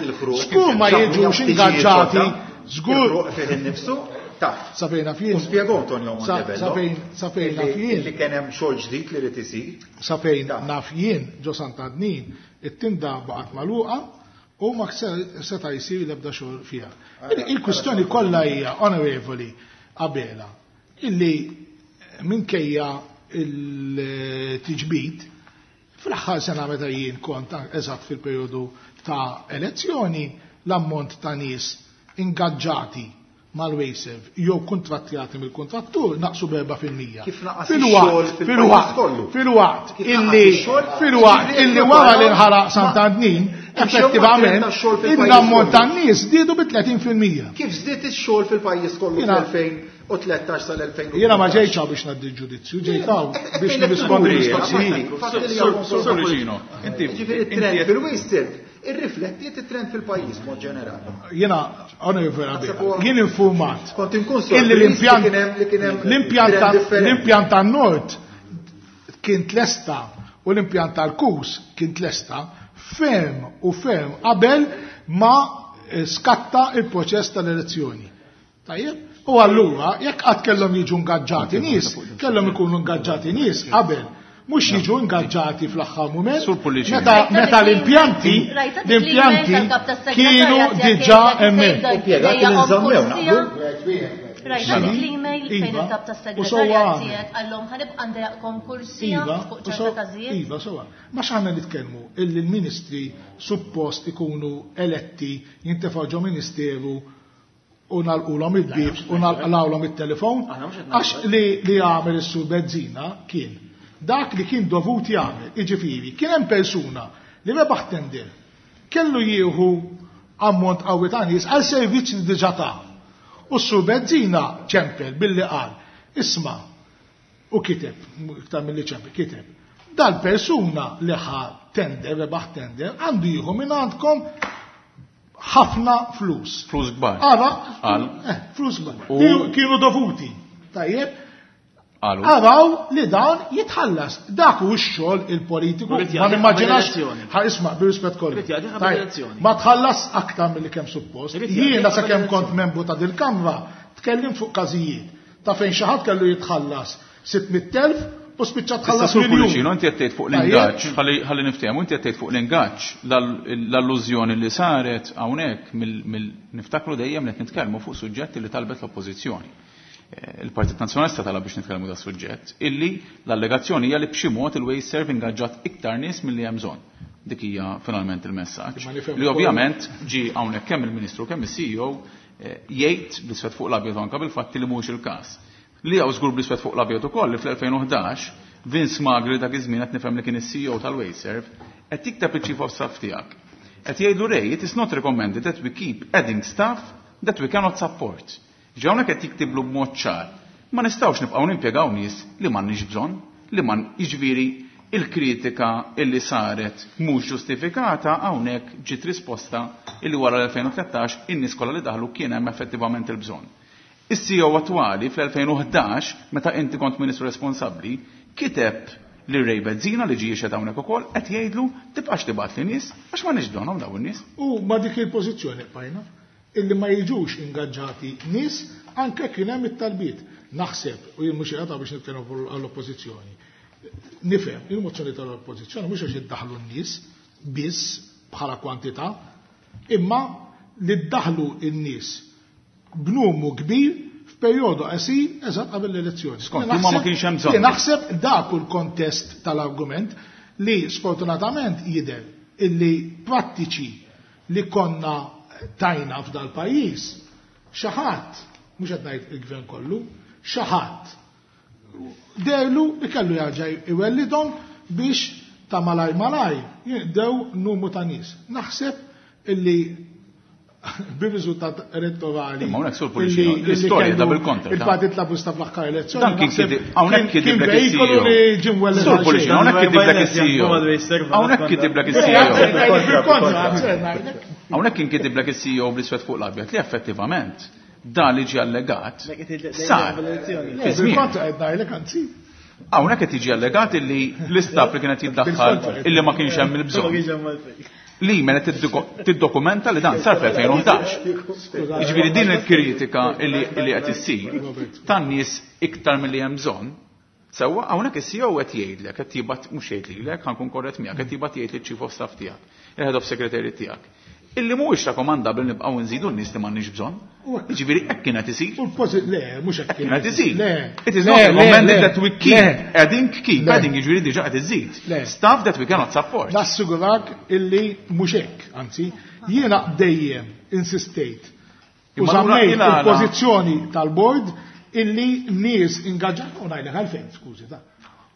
Żgur ma jiġux ingaġġati, żgur Il-ħruq fih innifsu taf. Sa fejn naf jien. U spjegò Antonio Sa- Montebello. Sa fejn sa fejn naf Illi jien. illi kien hemm xogħol ġdid li rid isir. Sa fejn naf jien, ġo Sant'Antnin, it-tinda baqgħet magħluqa u ma se- seta' jsir l-ebda xogħol fiha. Il- Il-kwistjoni kollha hija, Onorevoli Abela, illi minkejja il-tiġbid, fl-aħħar sena meta jien kont eżatt fil-perjodu ta' elezzjoni, l-ammont ta' nies ingaġġati mal-WasteServ jew kontrattjati mill-kontrattur naqsu b'erba' fil-mija. Kif naqas Fil-waqt, ix-xogħol fil-pajjiż fil-waqt, kollu. fil-waqt Kif naqas illi ix-xogħol, fil-waqt jiġifieri illi jekk wara li naraw- nħaraq ma- Sant'Antnin, Hemm xogħol effettivament ta' xogħol fil-pajjiż l-ammont kollu. ta' nies żdiedu bi tletin fil-mija. Kif żdied ix-xogħol fil-pajjiż kollu Jiena- fl-elfejn u tlettax sal-elfejn u Jiena ma ġejtx hawn biex ngħaddi ġudizzju, ġejt hawn biex nirrispondi mistoqsijiet. Sur Pullicino, inti Ġifieri it-trend fil-WasteServ irriflettiet it-trend fil-pajjiż mod ġenerali. Jiena, Onorevoli Abela, jien informat Kont inkun illi sorpriż li l-impjant kien hemm li kien hemm l-impjant trend ta'- differenti. l-impjant tan-Nord kien tlesta u l-impjant tal-Kus kien tlesta ferm u ferm qabel ma eh, skatta il-proċess tal-elezzjoni. Tajjeb? U allura, jekk qatt kellhom jiġu ingaġġati nies, kellhom ikunu ingaġġati nies qabel, mhux jiġu ingaġġati fl-aħħar mument. Sur Pullicino. Meta meta l-impjanti Rajta dik l-impjanti l-email tal-kap tas-segretarjat kienu tiegħek diġà jgħidlek hemmhekk. sejda Impjegati li jdejjaqhom nżammew, kull siegħa. naqblu? Rajta dik l-email fejn Iva, il-kap u tas-segretarjat sewwa għamel. tiegħek qallhom ħanibqa' ndejjaqkom kull siegħa Iva, fuq u ċerta so- każijiet. Iva, sewwa. Ma x'għandna nitkellmu illi l-ministri suppost ikunu eletti, jintefgħu ġo ministeru. u nagħlqulhom il-bieb u nagħlqulhom it-telefon, għax li li għamel is-Sur Bezzina kien dak li kien dovut jagħmel, jiġifieri kien hemm persuna li rebaħ tender, kellu jieħu ammont qawwi ta' nies għal servizz li diġà ta. U s-Sur Bezzina ċempel billi qal, isma', u kiteb, iktar milli ċempel, kiteb, dal-persuna li ħa tender, rebaħ tender, għandu jieħu minn għandkom ħafna flus. Flus kbar. Ara, Qal. eh, flus kbar. U- Kienu- Kienu dovuti. Tajjeb, Qalu. Araw li dan jitħallas. Dak hu x-xogħol il-politiku. Rrid Ma jagħti nimmaġinax. qabel elezzjoni. Ħa isma' bir-rispett kollu. Rrid jagħti qabel Tajjeb, elezzjoni. Ma tħallas aktar milli kemm suppost. Rrid jagħti Jiena qabel sakemm kont elezzjoni. membru ta' dil-Kamra tkellim fuq każijiet ta' fejn xi ħadd kellu jitħallas sitt mitt elf u spiċċa Issa tħallas Sur miljun. Pullicino, inti qed tgħid fuq Tajjeb. l-ingaġġ, ħalli ħalli niftehmu, inti qed tgħid fuq l-ingaġġ, l-all- l-allużjoni li saret hawnhekk mill- mill- niftakru dejjem li qed nitkellmu fuq suġġetti li talbet l-Oppożizzjoni. Eh, Il-Partit Nazzjonalista talab biex nitkellmu da suġġett, illi l-allegazzjoni hija li b'xi mod il-WasteServ ingaġġat iktar nies milli hemm bżonn. Dik hija finalment il-messaġġ. Ma nifhem Li ukoll- ovvjament ġi hawnhekk kemm il-Ministru kemm is-C E O, eh, jgħid bl-iswed fuq l-abjad anke bil-fatti li mhuwiex il-każ. Li hawn żgur bl-iswed fuq l-abjad ukoll li fl-elfejn u ħdax Vince Magri dak iż-żmien qed nifhem li kien is-C E O tal-WasteServ qed jikteb iċ-Chief of Staff tiegħek. Qed jgħidu Ray, it is not recommended that we keep adding staff that we cannot support. Ġi hawnhekk qed jiktiblu b'mod ċar. Ma nistgħux nibqgħu nimpjegaw nies li m'għandniex bżonn, li ma jiġifieri il-kritika illi saret mhux ġustifikata hawnhekk ġiet risposta illi wara l-elfejn u tlettax in-nies kollha li daħlu kien hemm effettivament il-bżonn. Is-C E O attwali fl-elfejn u ħdax, meta inti kont ministru responsabbli, kiteb li Ray Bezzina li ġie jixhed hawnhekk ukoll qed jgħidlu tibqax tibgħat li nies għax ma bżonnhom dawn in-nies. U ma dik il-pożizzjoni bqajna illi ma jiġux ingaġġati nies anke kien hemm it-talbiet. Naħseb, u jien mhux qiegħed biex nitkellem għall-oppożizzjoni. Nifhem, il-mozzjoni tal-oppożizzjoni mhux għax iddaħlu n-nies biss bħala kwantità, imma li ddaħlu n-nies b'numru kbir f'perjodu qasir eżatt qabel l-elezzjoni. Skont, Jien imma ma naħseb- kienx hemm bżonn. Jien naħseb dak hu l-kontest tal-argument li sfortunatament jidher illi prattiċi li konna tajna f'dal pajjiż, xi ħadd, mhux qed ngħid il-gvern kollu, xi ħadd dehlu li kellu jerġa' iwellidhom biex ta' malaj malaj jinqdew numru ta' nies. Naħseb illi bir-riżultat elettorali Imma hawnhekk Sur Pullicino, illi- illi l-istorja kellu da bil-kontra, ta' Il-Partit Laburista fl-aħħar elezzjoni. Dan kien naħseb kidi-, hawnhekk kien- kidiblek kien is-C E O. veikolu li ġie mwelled Sur għal Pullicino, xejn. hawnhekk kidiblek is-C E O. Hawnhekk kidiblek is-C E O. Bil-kontra, ngħidlek. Hawnhekk kien kidiblek is-C E O bl-iswed fuq l-abjad li effettivament dan li ġie allegat sar fi żmien. Bil-kontra qed ngħidlek, anzi. Hawnhekk qed jiġi allegat illi l-istaff li kienet jiddaħħal illi ma kienx hemm il-bżonn. Li mela tiddokumenta li dan sar fl-elfejn u ħdax. Jiġifieri din il-kritika illi, illi qed issir tan-nies iktar milli hemm bżonn. Sewwa hawnhekk is-C E O qed jgħidlek, qed jibgħat mhux jgħid lilek, ħankun korrett miegħek, qed jibgħat jgħid liċ-Chief of Staff tiegħek, il-Head of Secretary tiegħek. Illi mhuwiex rakkomandabbli nibqgħu nżidu n-nies li m'għandniex bżonn. Jiġifieri hekk kienet isir. U l-pożi-, le, mhux hekk Kienet isir. Le. It is Le, not le, recommended le. that we keep Le. adding, keep Le. adding, jiġifieri diġà qed iżid. Le. Staff that we cannot support. Nassigurak illi mhux hekk, anzi, jiena dejjem insistejt u Imma allura żammejt il-għala- il-pożizzjoni tal-board illi nies ingaġġat u ngħidlek għalfejn, skużi ta'.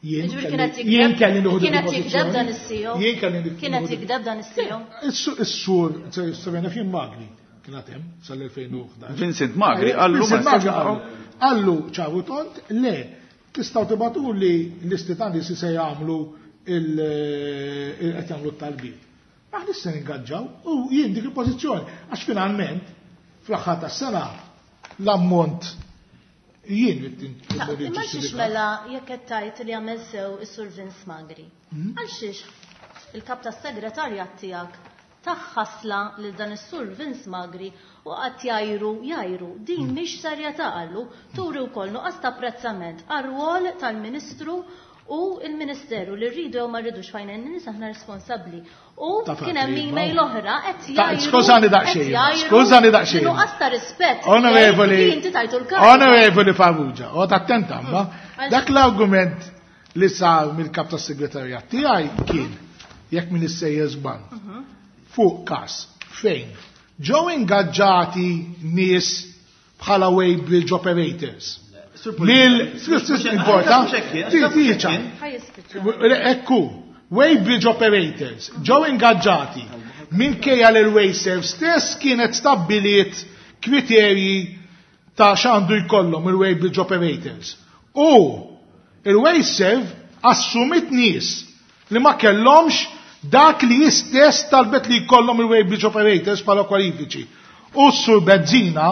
Jien Jiġifieri kelli- kienet jikdeb- jien kelli nieħu dik kienet il-pożizzjoni. jikdeb dan is-C E O? Jien kelli nieħu Kienet dik- jikdeb dan is-C E O? Is-su-, is-sur, s-sur Fin Magri kien hemm sal-elfejn u ħdax. Vincent Magri qallu Vincent ma Magri nistax qallu, qallu ċaru tont, le, tistgħu tibgħatu li l-listi ta' nies se jagħmlu il-, il-, qed jagħmlu t-talbiet. Aħna se ningaġġaw u jien dik il-pożizzjoni għax finalment fl-aħħar tas-sena l-ammont jien li tin- Ta' li imma xiex ġustifika. mela jekk qed tgħid li għamel sew is-Sur Vince Magri. Hmm? Għal xiex il-kap tas-segretarjat tiegħek taħħasla lil dan is-Sur Vince Magri u qatt jajru jajru din Hmm. mhix serjetà qallu turi wkoll nuqqas ta' apprezzament għar-rwol tal-Ministru u l-Ministeru li rridu jew ma rridux fejn in-nies aħna responsabbli. U Ta' kien hemm fatri, email ma. oħra qed Ta' jajru skużani daqsxejn, qed jajru skużani daqsxejn. Nuqqas ta' rispett. Onorevoli, Li inti tajtu l-kariga. Onorevoli Farrugia, u attenta ma, Għal- dak l-argument li sar mill-kap tas-segretarjat tiegħi kien jekk min issejjer żball Mhm. fuq każ fejn ġew ingaġġati nies bħala weighbridge operators. Lil, importa, ekku, weighbridge operators ġew ingaġġati minkejja li l-Wasteserv stess kienet stabbiliet kriterji ta' x'għandu jkollhom il-weighbridge operators. U il-Wasteserv assumit nies li ma kellhomx dak li jistess talbet li jkollhom il-weighbridge operators bħala kwalifiċi. U s-Sur Bezzina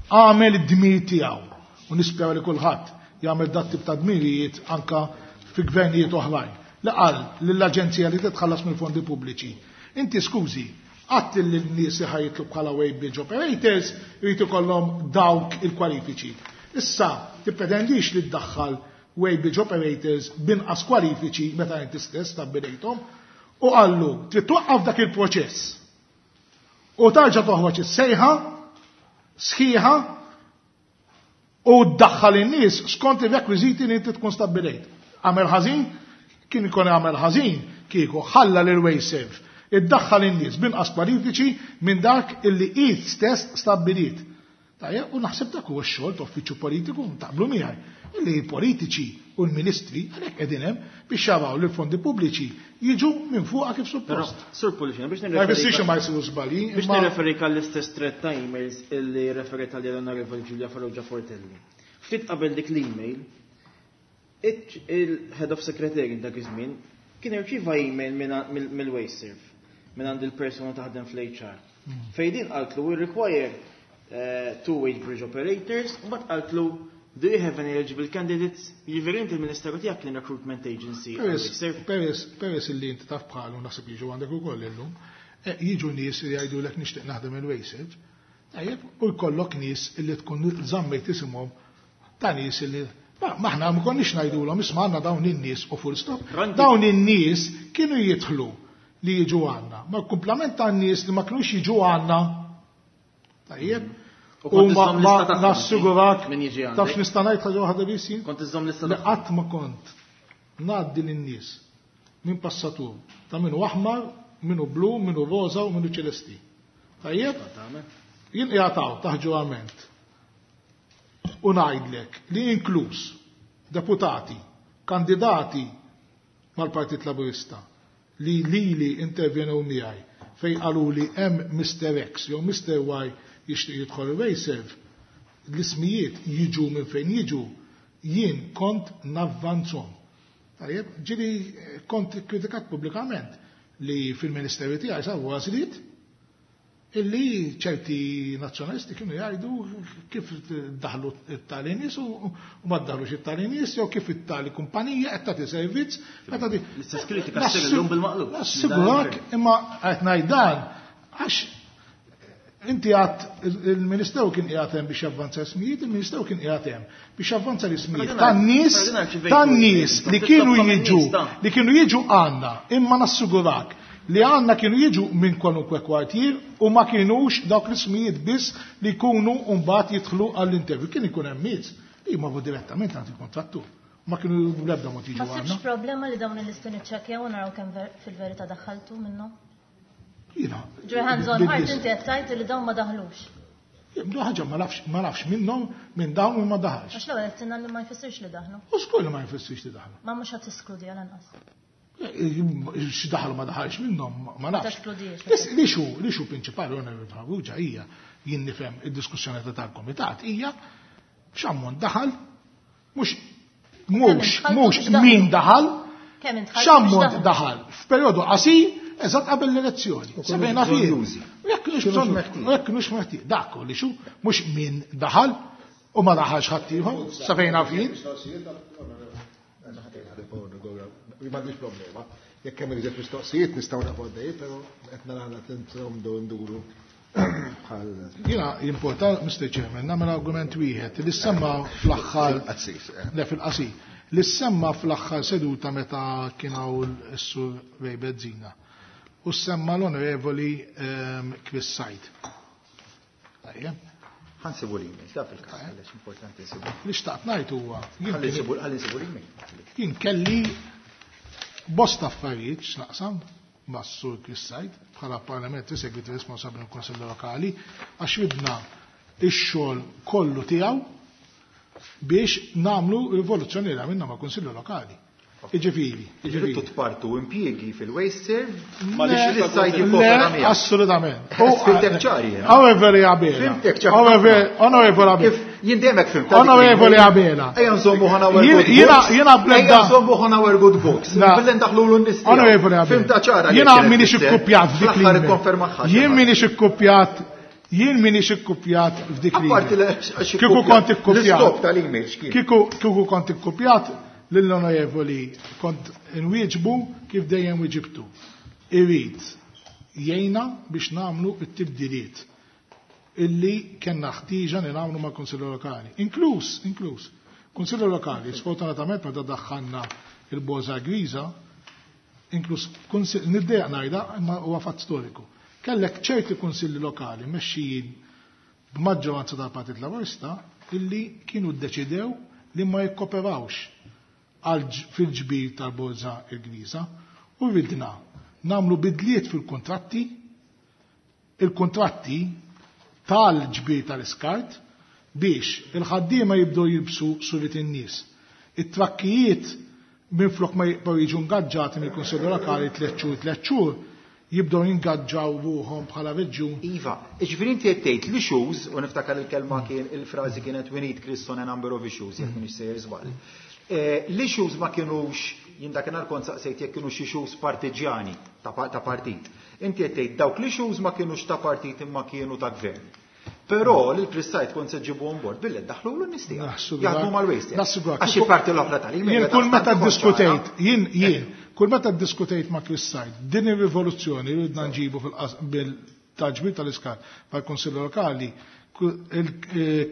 għamel id-dmir tiegħu. U nispera li kulħadd jagħmel dat tip ta' dmirijiet anka fi gvernijiet oħrajn. Li qal lill-aġenzija li titħallas mill-fondi pubbliċi. Inti skużi, għadt li n-nies li ħajjitlu bħala weighbridge operators jrid ikollhom dawk il-kwalifiċi. Issa tippretendix li ddaħħal weighbridge operators binqas kwalifiċi meta inti stess stabbilejthom u qallu trid twaqqaf dak il-proċess. U tarġa' toħroġ is-sejħa sħiħa u ddaħħal in-nies skont ir-rekwiżiti li inti tkun stabbilejt. Għamel ħażin, kien ikun għamel ħażin kieku ħalla lil Wasteserv iddaħħal in-nies binqas kwalifiċi minn dak illi hi stess stabbilit. Tajjeb, u naħseb dak huwa x-xogħol ta' uffiċċju politiku taqblu miegħi. Illi politiċi u l-ministri għalhekk qegħdin hemm biex jaraw li l-fondi pubbliċi jiġu minn fuqha kif suppost. Sur Pullicino, biex Ma jfissirx ma jsiru żbalji. Biex nirreferik għall-istess thread ta' emails illi referit għal l-Onorevoli Giulia Farrugia Portelli. Ftit qabel dik l-email, il-Head of Secretary dak iż-żmien kien irċieva email mill-Wasteserv minn għand il-persuna taħdem fl-H R. Fejn din qaltlu we require uh, two weighbridge operators, u mbagħad qaltlu do you have any eligible candidates? Jiġifieri inti il-Ministeru tiegħek kien recruitment agency. Peress peress illi inti taf bħalu naħseb jiġu għandek ukoll illum, jiġu nies li jgħidulek nixtieq naħdem il-Wasteserv, tajjeb, u jkollok nies illi tkun żammejt isimhom ta' nies illi maħna ma konniex ngħidulhom isma' għandna dawn in-nies u full stop. Dawn in-nies kienu jidħlu li jiġu għandna. Ma kumplament ta' nies li ma kinux jiġu għandna. Tajjeb. U ma nassigurak taf nista' ngħid ħaġa waħda biss jien? Kont iżżomm lista li qatt ma kont ngħaddi lin-nies minn passatur ta' minnu aħmar, minnu blu, minnu roża u minnu ċelesti. Tajjeb? Jien qiegħed taħt ġurament. U ngħidlek li inkluż deputati, kandidati mal-Partit Laburista li lili intervjenew miegħi fejn qalu li hemm Mister X jew Mister Y jixtieq jidħol il-Wasteserv, l-ismijiet jiġu minn fejn jiġu, jien kont navvanzhom. Tajjeb, ġieli kont kritikat pubblikament li fil-ministeru tiegħi saru għażliet illi ċerti nazzjonalisti kienu jgħidu kif daħlu it-tali nies u ma daħlux it-tali nies jew kif it-tali kumpanija qed tagħti servizz. L-istess kritika ssir illum bil-maqlub. Nassigurak imma qed ngħid dan għax inti għad il-Ministeru kien qiegħed hemm biex javvanza ismijiet, il-Ministeru kien qiegħed hemm biex javvanza l-ismijiet tan-nies tan-nies li kienu jiġu li kienu jiġu għandna, imma nassigurak li għandna kienu jiġu minn kwalunkwe kwartier u ma kienux dawk l-ismijiet biss li jkunu mbagħad jidħlu għall-interview. Kien ikun hemm nies li jmorru direttament għand il-kontrattur. Ma kienu bl-ebda mod jiġu Ma għandna. sibx problema li dawn il-listi niċċekkjaw u naraw kemm fil-verità daħħaltu minnhom? Jiena. Ġo hands on heart inti qed tgħid li dawn ma daħlux. Jibdu ħaġa ma nafx, ma nafx minnhom minn dawn u ma daħalx. Għax l-ewwel qed tinna li ma jfissirx li daħlu. U żgur li ma jfissirx li daħlu. Ma mhux ħadd tiskludi għal anqas. X'daħlu ma daħalx minnhom ma nafx. Teskludix. Li xu, li xu prinċipali Onorevoli Farrugia hija jien nifhem id-diskussjoni ta' tal-komitat hija x'ammont daħal mhux mhux mhux min daħal, x'ammont daħal f'perjodu qasir eżatt qabel l-elezzjoni. Sebgħina fih. Jekk kienux meħtieġ, dak li xu mhux min daħal u ma daħalx ħadd ieħor, sebgħina fih. M'għandix problema. Jekk hemm iżjed mistoqsijiet nistgħu naqgħu għaddej, però qed nara tintromdu nduru bħal. Jiena jimporta, Mister Chairman, nagħmel argument wieħed li semma fl-aħħar le fil-qasir, li semma fl-aħħar seduta meta kien hawn is-Sur Ray Bezzina. U semma l-Onorevoli Chris Said. Tajjeb. Ħansibu l-email, da fil-każ, għaliex importanti nsibu. Li xtaqt ngħid huwa. Ħalli nsibu l-email. Jien kelli bosta affarijiet x'naqsam mas-Sur Chris Said bħala Parliamentary Secretary responsabbli mill-Kunsill Lokali għax ridna ix-xogħol kollu tiegħu biex nagħmlu rivoluzzjoni li għamilna ma' Kunsilli Lokali. Iġifieri, iġifieri. Tpartu impjiegi fil-waste serve, ma li assolutament. Fimtek ċari. Onorevoli Abela. Onorevoli Abela. Jien dejjem fimt. Onorevoli Abela. Ejja nżommu ħana our good books. Jiena blenda. Ejja nżommu ħana our good books. Billi ndaħlu l nies. Onorevoli Abela. Fimta ċara. Jiena minix ikkupjat f'dik li. Jien minix ikkupjat Jien minix ikkupjat f'dik li. Kieku kont ikkupjat. L-iskop tal-email x'kien. Kieku kont ikkupjat lill-onorevoli kont inwieġbu kif dejjem wieġibtu. Irid jgħinna biex nagħmlu t-tibdiliet illi kellna ħtieġa li nagħmlu mal-Kunsilli Lokali. Inkluż, inkluż. Kunsilli Lokali, sfortunatament meta daħħalna il-Boża Griża, inkluż niddejjaq ngħidha imma huwa fatt storiku. Kellek ċerti kunsilli lokali mexxijin b'maġġoranza tal-Partit Laburista illi kienu ddeċidew li ma jikkoperawx fil-ġbir tal-Borża il-Griża u ridna nagħmlu bidliet fil-kontratti, il-kontratti tal-ġbir tal-iskart biex il-ħaddiema jibdew jilbsu surit in-nies. It-trakkijiet minflok ma jibqgħu jiġu ngaġġati mill-Kunsilli Lokali tliet xhur tliet xhur jibdew jingaġġaw ruħhom bħala reġjun. Iva, jiġifieri inti qed tgħid l-issues, u niftakar il-kelma kien il-frażi kienet we need Chris on a number of issues, jekk m'iniex sejjer żball. L-issues ma kienux, jien dakinhar kont saqsejt jekk kienux issues partiġjani ta' partit. Inti qed tgħid dawk l-issues ma kienux ta' partit imma kienu ta' gvern. Però lil Chris Said kont se ġibu on board billi ddaħħlu l nies tiegħek. Jaħdmu mal-waste. Għax il-parti l-oħra tal-email. Jien kull meta ddiskutejt, jien jien, kull meta ddiskutejt ma' Chris Said, din ir-rivoluzzjoni li ridna nġibu fil-ġbir tal-iskart mal-Kunsilli Lokali,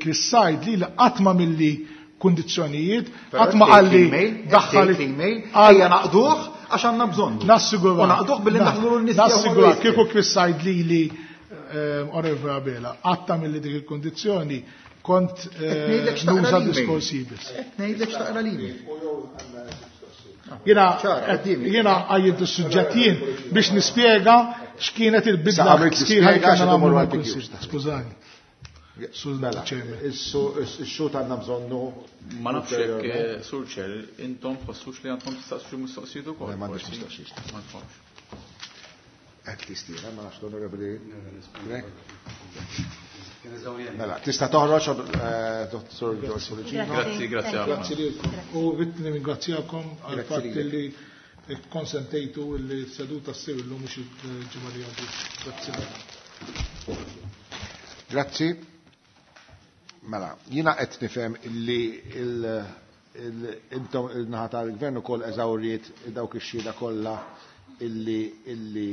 Chris Said li qatt ma milli kundizzjonijiet, qatt ma qalli daħħal l-email, ejja naqduh għax għandna bżonn. Nassigura. U naqduh billi ndaħħlu l-nies. Nassigura kieku Chris Said lili Onorevoli Abela, għatta mill-li dik il-kondizzjoni kont nuża diskors ibis. Ngħidlek x'taqra l-email. Jiena jiena għajjiet is-suġġett jien biex nispjega x'kienet il-bidla sħiħa li kellna nagħmlu mal-Kunsill. Skużani. Ix-xhud għandna bżonnu. Ma nafx jekk Sur Chair, intom tħossux li għandkom tistaqsu xi mistoqsijiet ukoll. Ma m'għandix mistoqsijiet. Ma tħossx. At least jiena, ma nafx l-Onorevoli. Mela, tista' toħroġ Dottor George Pullicino. Grazzi, grazzi ħafna. Grazzi lilkom. U rrid nirringrazzjakom għall-fatt li konsentejtu li s-seduta ssir illum mhux il-ġimgħa li għaddiet. Grazzi. Grazzi. Mela, jiena qed nifhem illi intom il-naħa tal-gvern ukoll eżawriet dawk ix-xhieda kollha illi illi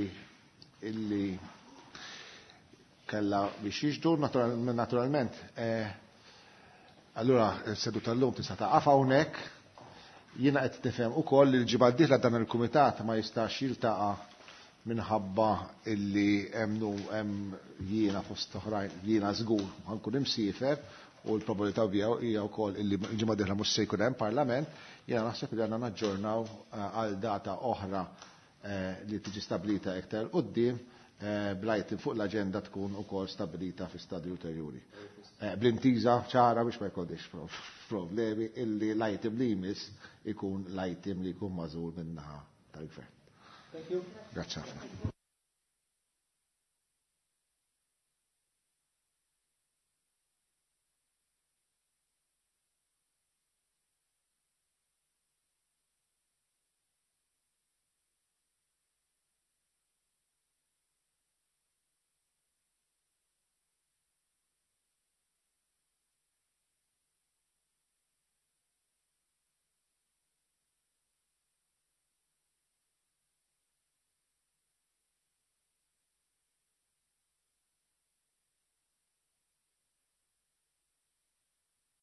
illi kella biex jiġdu naturalment. Allura s-seduta llum tista' taqaf hawnhekk. Jiena qed nifhem ukoll li l-ġimgħa d-dieħla dan il-kumitat ma jistax jiltaqa' minħabba illi hemm hemm jiena fost oħrajn jiena żgur ħankun imsiefer u l-probabilità hija wkoll illi l-ġimgħa d-dieħla mhux se jkun hemm parlament. Jiena naħseb li għandna naġġornaw għal data oħra li tiġi stabilita iktar quddiem bl-item fuq l-aġenda tkun ukoll stabilita fi stadju ulterjuri. Bl-intiża ċara biex ma jkollix problemi illi l-item li jmiss ikun l-item li jkun magħżul min-naħa tal-gvern. Thank you. Grazzi ħafna.